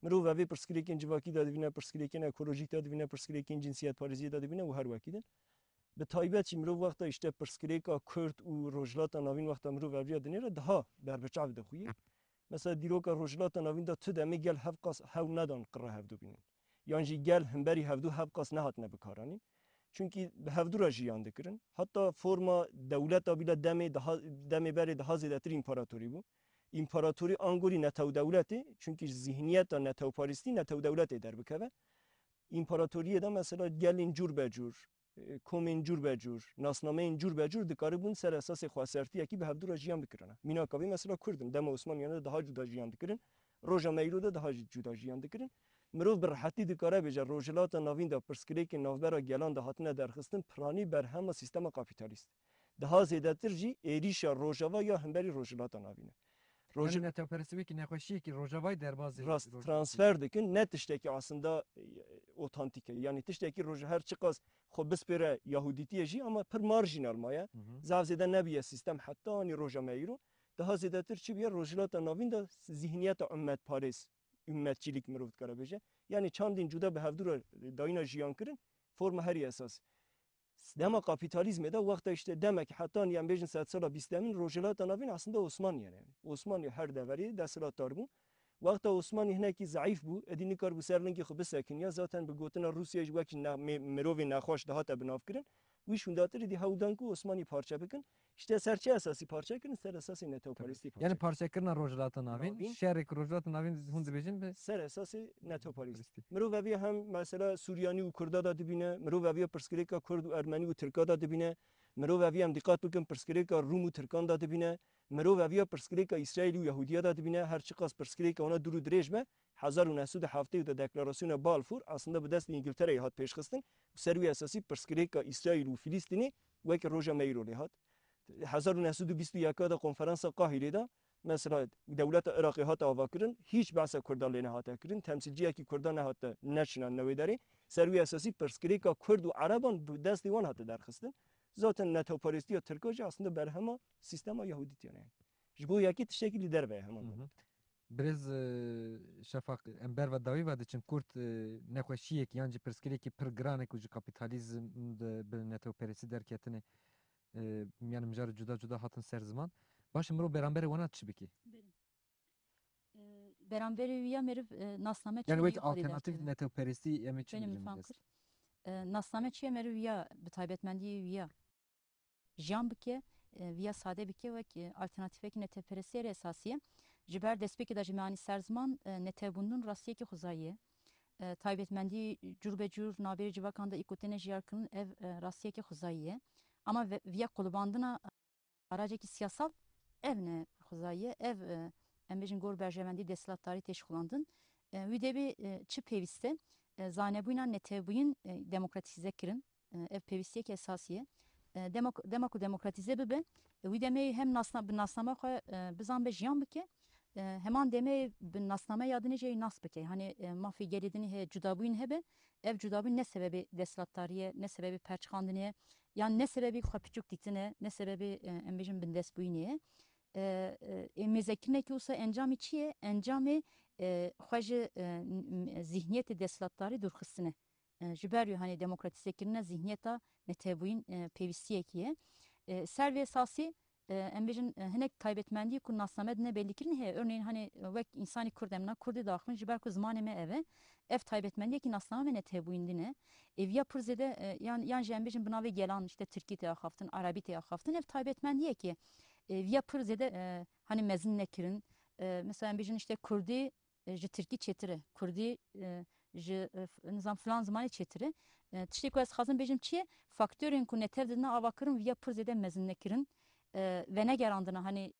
Mirov evê pirsgirêkên civakî de dibîne, pirsgirêkên ekolojîk de dibîne, pirsgirêkên cinsiyetparêziyê de dibîne û her wekî din. Bi taybet jî mirov wexta îşte pirsgirêka Kurd û Rojhilata Navîn wexta mirov ev riya dinêre daha berbiçav dixuye. Mesela dîroka Rojhilata Navîn de tu demê gel hevqas hewl nedan qirra hevdu bînin. Yan jî gel himberî hevdu hevqas nehatine bikaranîn. Çunkî bi hevdu re jiyan dikirin. Heta forma dewleta bîle demê daha, demê berê daha zêdetir împaratorî bû. Împaratorî angorî netewdewletê, çunkî ji zihniyeta netewparêstî netewdewletê derbikeve. Împaratoriyê de mesela gelên cûr be cûr, e, komên cûr be cûr, nasnameyên cûr be cûr dikaribûn ser esasê xwesertiyekî bi hevdu re jiyan bikirine. Mînaka vê mesela Kurd in. Dema Osmaniyan de daha cuda jiyan dikirin. Roja me îro de daha jî cuda jiyan dikirin. Mirov bi rehetî dikare bêje Rojhilata Navîn de pirsgirêkên navbera gelan de hatine derxistin, piranî berhema sîstema kapîtalîst. Daha zêdetir jî êrîşa Rojava ya hemberî Rojhilata Navîn e. Roj- Yanî netewperestî wekî nexweşiyekî Rojavayê derbazî Rast, Roj- transfer dikin, ne tiştekî aslında, e, otantîk e. Yanî tiştekî Roj-, her çiqas xwe bispêre Yahudîtiyê jî, ama pir marjînal maye. Hı hı. Zaf zêde nebiye sîstem heta anî roja me îro. Daha zêdetir çi biye? Rojhilata Navîn de zihniyeta ummetparêz, ummetçilik mirov dikare bêje. Yanî çandên cuda bi hevdu re dayîna jiyan kirin, forma herî esas. Dema kapîtalîzmê de wexta işte demek heta anî em bêjin sedsala bîstemîn Rojhilata Navîn aslında Osmaniye ne. Yanî Osmaniye her deverê desthilatdar bû. Wexta Osmanî hinekî zeîf bû, êdî nikaribû ser lingê xwe bisekiniya, zaten bi gotina Rûsya jî wekî ne-, mê-, mirovê nexweş dihate binavkirin. Wî şûndatir êdî hewl dan ku Osmanî parçe bikin. Îşte ser çi esasî parçe kirin? Ser esasê netewperestî parçe Yanî kirin. Parçekirina Rojhilata Navîn, Navîn. Şerê ku Rojhilata Navîn hûn dibêjin bi Ser esasê netewperestî. Netewperestî. Mirov eviya hem mesela Suryanî û Kurda da dibîne, mirov eviya pirsgirêka Kurd û Ermenî û Tirka da dibîne, mirov eviya em dîqat bikin pirsgirêka Rûm û Tirkan da dibîne, mirov eviya pirsgirêka Îsraîl û Yahudiya da dibîne, her çiqas pirsgirêka wana dûr û dirêj be, hezar û neh sed û heftê û de deklarasyona Balfour aslında bi destê Îngiltereyê hat pêşxistin û ser wî esasî pirsgirêka Îsraîl û Filîstînê wekî roja me îro lê hat. Hezar û neh sed û bîst û yek de konferansa Qahîrê de mesela dewleta Iraqê hate avakirin, hîç behsa Kurdan lê nehate kirin, temsîlciyekî Kurdan nehate neçinan newê derê. Ser wî esasî pirsgirêka Kurd û Ereban bi destê wan hate derxistin. Zaten netewperestiya Tirka jî aslında berhema sîstema Yahudîtiyan e. Ji bo yekê tiştekî li derve ye heman. Hı hı. Birêz, e, Şefaq, em berva dawî ve diçin, Kurd, e, nexweşiyek yan jî pirsgirêkî pir giran e ku ji kapîtalîzm de bi netewperestî derketine, e, yanî mijarê cuda cuda hatin ser ziman. Baş e, mirov beramberê wana çi bike? Belê. E, beramberê wî ya meriv, e, nasname Yanî çi wek wê derdikeve? Alternatîf netewperestî em ê çi Belê, min bigrin fam dest? Kir. E, nasname çi ye meriv wî ya bi taybetmendî wî ya jiyan bike, e, viya sade bike wek, e, alternatîfekî netewperestiyê re esasî ye. Ji ber destpêkê de ji me anî ser ziman, e, netewbûndin rastiyekî xwezayî ye. E, taybetmendî cûr be cûr navberê civakan de îkotene jiyar kirin, ev, e, rastiyekî xwezayî ye. Ama ve-, viya qulibandina, e, aracekî siyasal ev ne xwezayî ye, ev, e, em bêjin gor berjewendî desthilatdarî tê şixulandin. E, wî dê bê, e, çi pêwîst e? E, zanebûyîna netewbûyîn, e, demokratîze kirin. E, ev pêwîstiyeke esasî ye. E, demok-, dema ku demokratîze bibe, e, wî demê hem nasna-, bi nasnama xwe, e, bizan be jiyan bike, e, heman demê bi nasname ya dinê jî nas bike. Hani, e, mafê gelê dinê heye, cudabûyîn hebe, ev cudabûyîn ne sebebê desthilatdarî ye, ne sebebê perçiqandinê ye, yan ne sebebê xwe piçûk dîtine, ne sebebê, e, em bêjin bindestbûyînê ye. E, e, ê mêzekirinekî wisa encamê çi ye? Encamê, e, xwe ji, e, n-, n-, zihniyetê desthilatdarî dûrxistine. E, ji ber wî, hani, demokratîzekirina zihniyeta netewbûyîn, e, pêwîstiyekî ye. E, ser vê esasî, e, em bêjin, e, hinek taybetmendî ku nasname dine bellîkirin heye. Örneğin, hani, wek însanî Kurd em na Kurdî daxivin, ji ber ku zimanê me ev e, ev taybetmendiyekî nasname me netewbûyîn dine. Ê viya pir zêde, e, yan, yan jî em bêjin bi navê gelan, işte, Tirkî tê axaftin, Erebî tê axaftin, ev taybetmendiyekî ye. E, viya pir zêde, e, hani, mezin nekirin. E, mesela em bêjin, işte, Kurdî, e, ji Tirkî çêtir e. Kurdî, e, ji, e, f-, nizam filan zimanê çêtir e. E, tiştê ku ez dixwazim bêjim çi ye? Faktorên ku netev didine avakirin viya pir zêde mezin nekirin. E, venegerandine, hani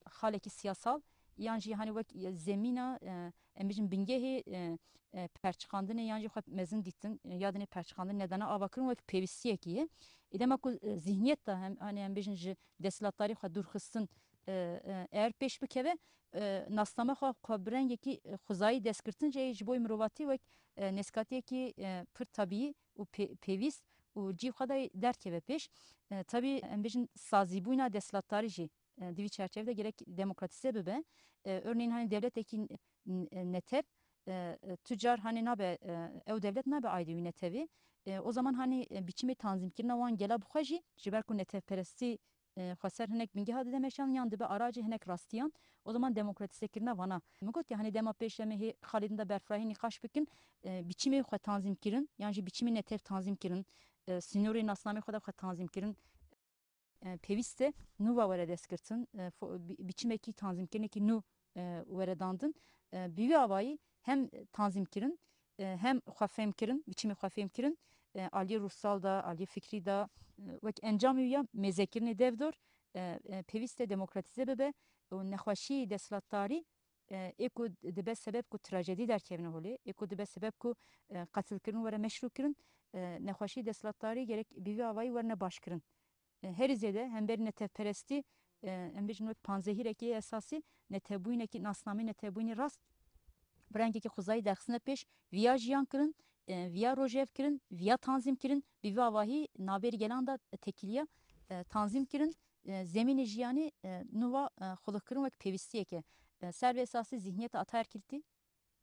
xalekî siyasal yan jî hani wek, e, zemîna, e, em bêjin bingehê, e, e, perçiqandinê yan jî xwe mezin dîtin, e, ya dinê perçiqandin nedane avakirin wek pêwîstiyekî ye. Ê dema ku, e, zihniyet de hem, hani em bêjin ji desthilatdarî xwe dûrxistin, e, e, eğer pêş bikeve, e, nasname xwe, xwe bi rengekî, e, xwezayî destgirtin jî ji bo mirovatî wek, e, nêzkatiyekî, e, pir tabî û pê-, pêwîst û cî xwe de derkeve pêş. E, tabî em bêjin sazîbûyîna desthilatdarî jî, e, di vî çerçevê de gerek demokratîze bibe. E, örneğin hani dewletekî n-, n-, netev, e, e, tu car hanê nabe, e, ew dewlet nabe aydê wî netewê. E, o zaman hanê, e, biçimê tanzîmkirina wan gela bi xwe jî, ji ber ku netewperestî, e, xweser hinek bingeha dide meşan yan dibe aracê hinek rastiyan, o zaman demokratîzekirina vana. Min got ya hanê dema pêş em ê hê Xalidin de berfirahî nîqaş bikin, e, biçimê xwe tanzîmkirin, yan jî biçimê netev tanzîmkirin, e, sînorê nasnamê xwe de xwe tanzîmkirin, e, pêwîst e nû ve were destgirtin, e, fo-, bi-, biçimekî tanzîmkirinekî nû, e, were dandin. E, bi vî avayî hem tanzîmkirin, e, hem xwefêmkirin, biçimê xwefêmkirin, e, aliyê ruhsal de, aliyê fikrî de, e, wek encamê wî ya mêzekirinê devdor, e, e, pêwîst e demokratîze bibe û nexweşî desthilatdarî, e, ê ku dibe sebeb ku trajedî derkevine holê, ê ku dibe sebeb ku, e, qetilkirin were meşrûkirin, e, nexweşî desthilatdarî gerek bi vî avayî werne başkirin. E, herî zêde hemberî netewperestî, e, em bêjin wek panzehîrekî esasî, netewbûyînekî, nasnameyê netewbûyînê rast bi rengekî xwezayî derxistine pêş, viya jiyan kirin, e, viya rojev kirin, viya tanzîm kirin, bi vî avahî navberî gelan de tekîliya, e, tanzîm kirin, e, zemînê jiyanê, e, nû ve, e, xulixkirin wek pêwîstiyeke, e, ser vê esasî zihniyeta ataerkiltî,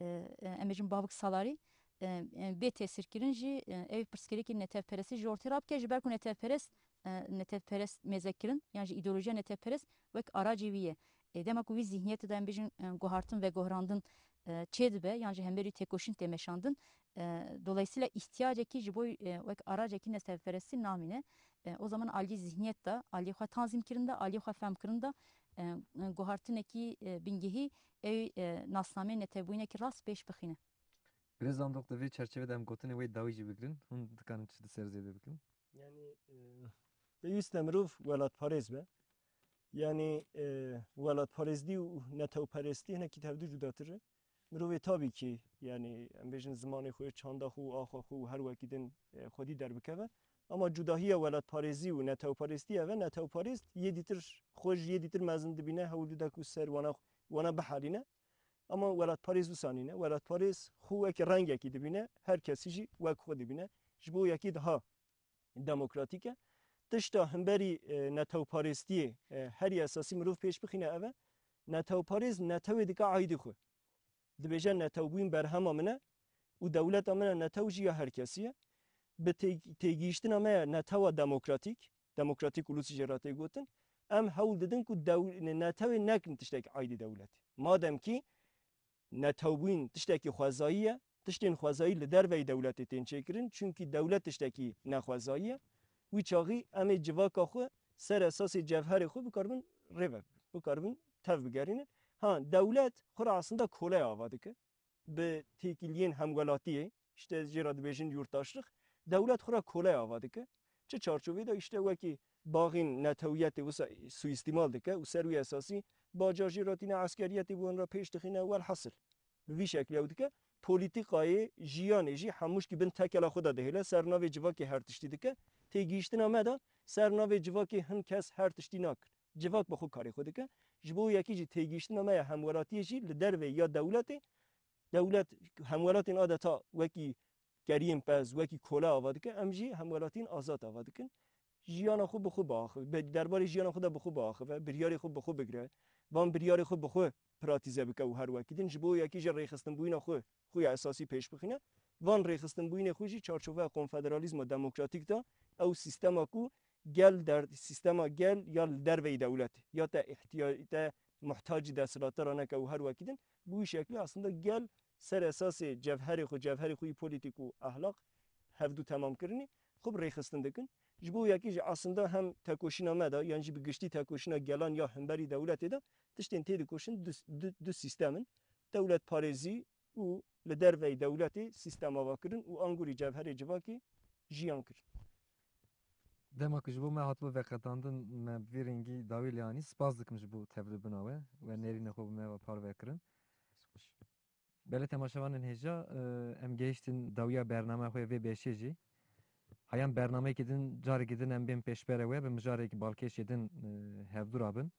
e, e, em bêjin bavik salarî, e, e, bê tesîrkirin jî, e, ev pirsgirêkê netewperestî ji ortê rabike, ji ber ku netewperest, e, netewperest mêzekirin yan jî îdeolojiya netewperest wek aracê wî ye. E, dema ku wî zihniyetê de em bêjin, e, guhartin, vegohrandin, e, çêdibe yan jî hemberî têkoşîn tê meşandin. E, dolayısıyla îhtiyacekî ji bo, e, wek aracekî netewperestî namîne. E, o zaman aliyê zihniyet de, aliyê xwe tanzîmkirin de, aliyê xwe fehmkirin de, e, e, guhartinekî, e, bingehî ew, e, nasnameyê netewbûyînekî rast pêş bixîne. Birêz Zandoq, di vê çerçevê de em gotinê wê dawî jî bigirin. Hûn dikarin çi di ser zêde bikin? Yani, e, pêwîst e mirov welatparêz be. Yani, e, welatparêzdî û netewperestî hinekî tevdî cudatir e. Mirovê tabî ki, yani, em bêjin zimanê xwe, çanda xwe û axa xwe û her wekî din, e, xwedî derbikeve. Ama cudahiya welatparêzî û netewperestî ev e. Netewperêst yê dîtir xwe ji yê dîtir mezin dibîne, hewl dide ku ser wana, wana biherîne. Ama welatparêz wisa nîne. Welatparêz xwe wekî rengekî dibîne, her kesî jî wek xwe dibîne. Ji bo yekî daha demokratîk e. Tişta hemberî, e, netewparêstiyê, e, herî esasî mirov pêş bixîne ev e. Netewparêz netewê dike aîdî xwe. Dibêje netewbûn berhema min e û dewleta min e netew jî ya her kesî ye. Bi tê-, têgihiştina me ya netewa demokratîk, demokratîk ulus jê re tê gotin, em hewl didin ku dew-, netewê nekin tiştekî aîdî dewletê. Madem kî netewbûn tiştekî xwezayî ye, tiştên xwezayî li derveyî dewletê tên çêkirin, çunkî dewlet tiştekî nexwezayî ye. Wî çaxî em ê civaka xwe ser esasê cevherê xwe bikaribin rê ve, bikaribin tev bigerînin. Ha, dewlet xwe re aslında koleya ava dike. Bi têkiliyên hemwelatiyê, işte jê re dibêjin yurttaşlık, dewlet xwe re koleya ava dike. Çi çarçovê de? İşte wekî baxên netewiyetê wisa suîstîmal dike û ser wî esasî baca jê re tîne, eskeriyetê bi wan re pêş dixîne, welhasil. Bi vî şeklî ew dike. Polîtîkayê jiyanê jî hemûşkî bin tekela xwe de dihêle, ser navê civakê her tiştî dike. Têgihiştina me de ser navê civakê hin kes her tiştî nakin. Civak bi xwe karê xwe dike. Ji bo yekî jî têgihiştina me ya hemwelatiyê jî li dervê ya dewletê, dewlet hemwelatên adeta wekî keriyên pez, wekî kole ava dike, em jî hemwelatiyên azad ava dikin. Jiyana xwe bi xwe biaxive, be-, derbarê jiyana xwe de bi xwe biaxive, biryarê xwe bi xwe bigire, van biryarê xwe bi xwe pratîze bike û her wekî din. Ji bo yekî jî rêxistinbûyîna xwe, xwe ya esasî pêş bixîne. Van rêxistinbûyînê xwe jî çarçoveya konfederalîzma demokratîk de, ew sîstema ku gel der-, sîstema gel ya li derveyî dewletê, ya te îhtiya-, te muhtacî desthilatdara neke û her wekî din, bi wî şeklî aslında gel ser esasê cevherê xwe, cevherê xwe yî polîtîk û ehlaq hevdû temam kirinî, xwe bi rêxistin dikin. Ji bo yekî jî aslında hem tekoşîna me de, yan jî bi giştî tekoşîna gelan ya hemberî dewletê de tiştên tê dikoşin du, du, du sîstem in. Dewletparêzî û li derveyî dewletê sîstem avakirin û angurî cevherê civakê jiyan kirin. Dema ku ji bo me hatibû veqetandin, me bi vî rengî dawî lê anî. Spas dikim ji bo tevlibûna we, we nêrîna xwe bi me ve parve kirin. Belê temaşevanên hêja, e, em gehiştin dawiya bernameya xwe yê vê beşê jî. Heyan bernameyekî din, carekî din em bên pêşberê we, bi mijarek balkêşê din, e, hevdû rabin.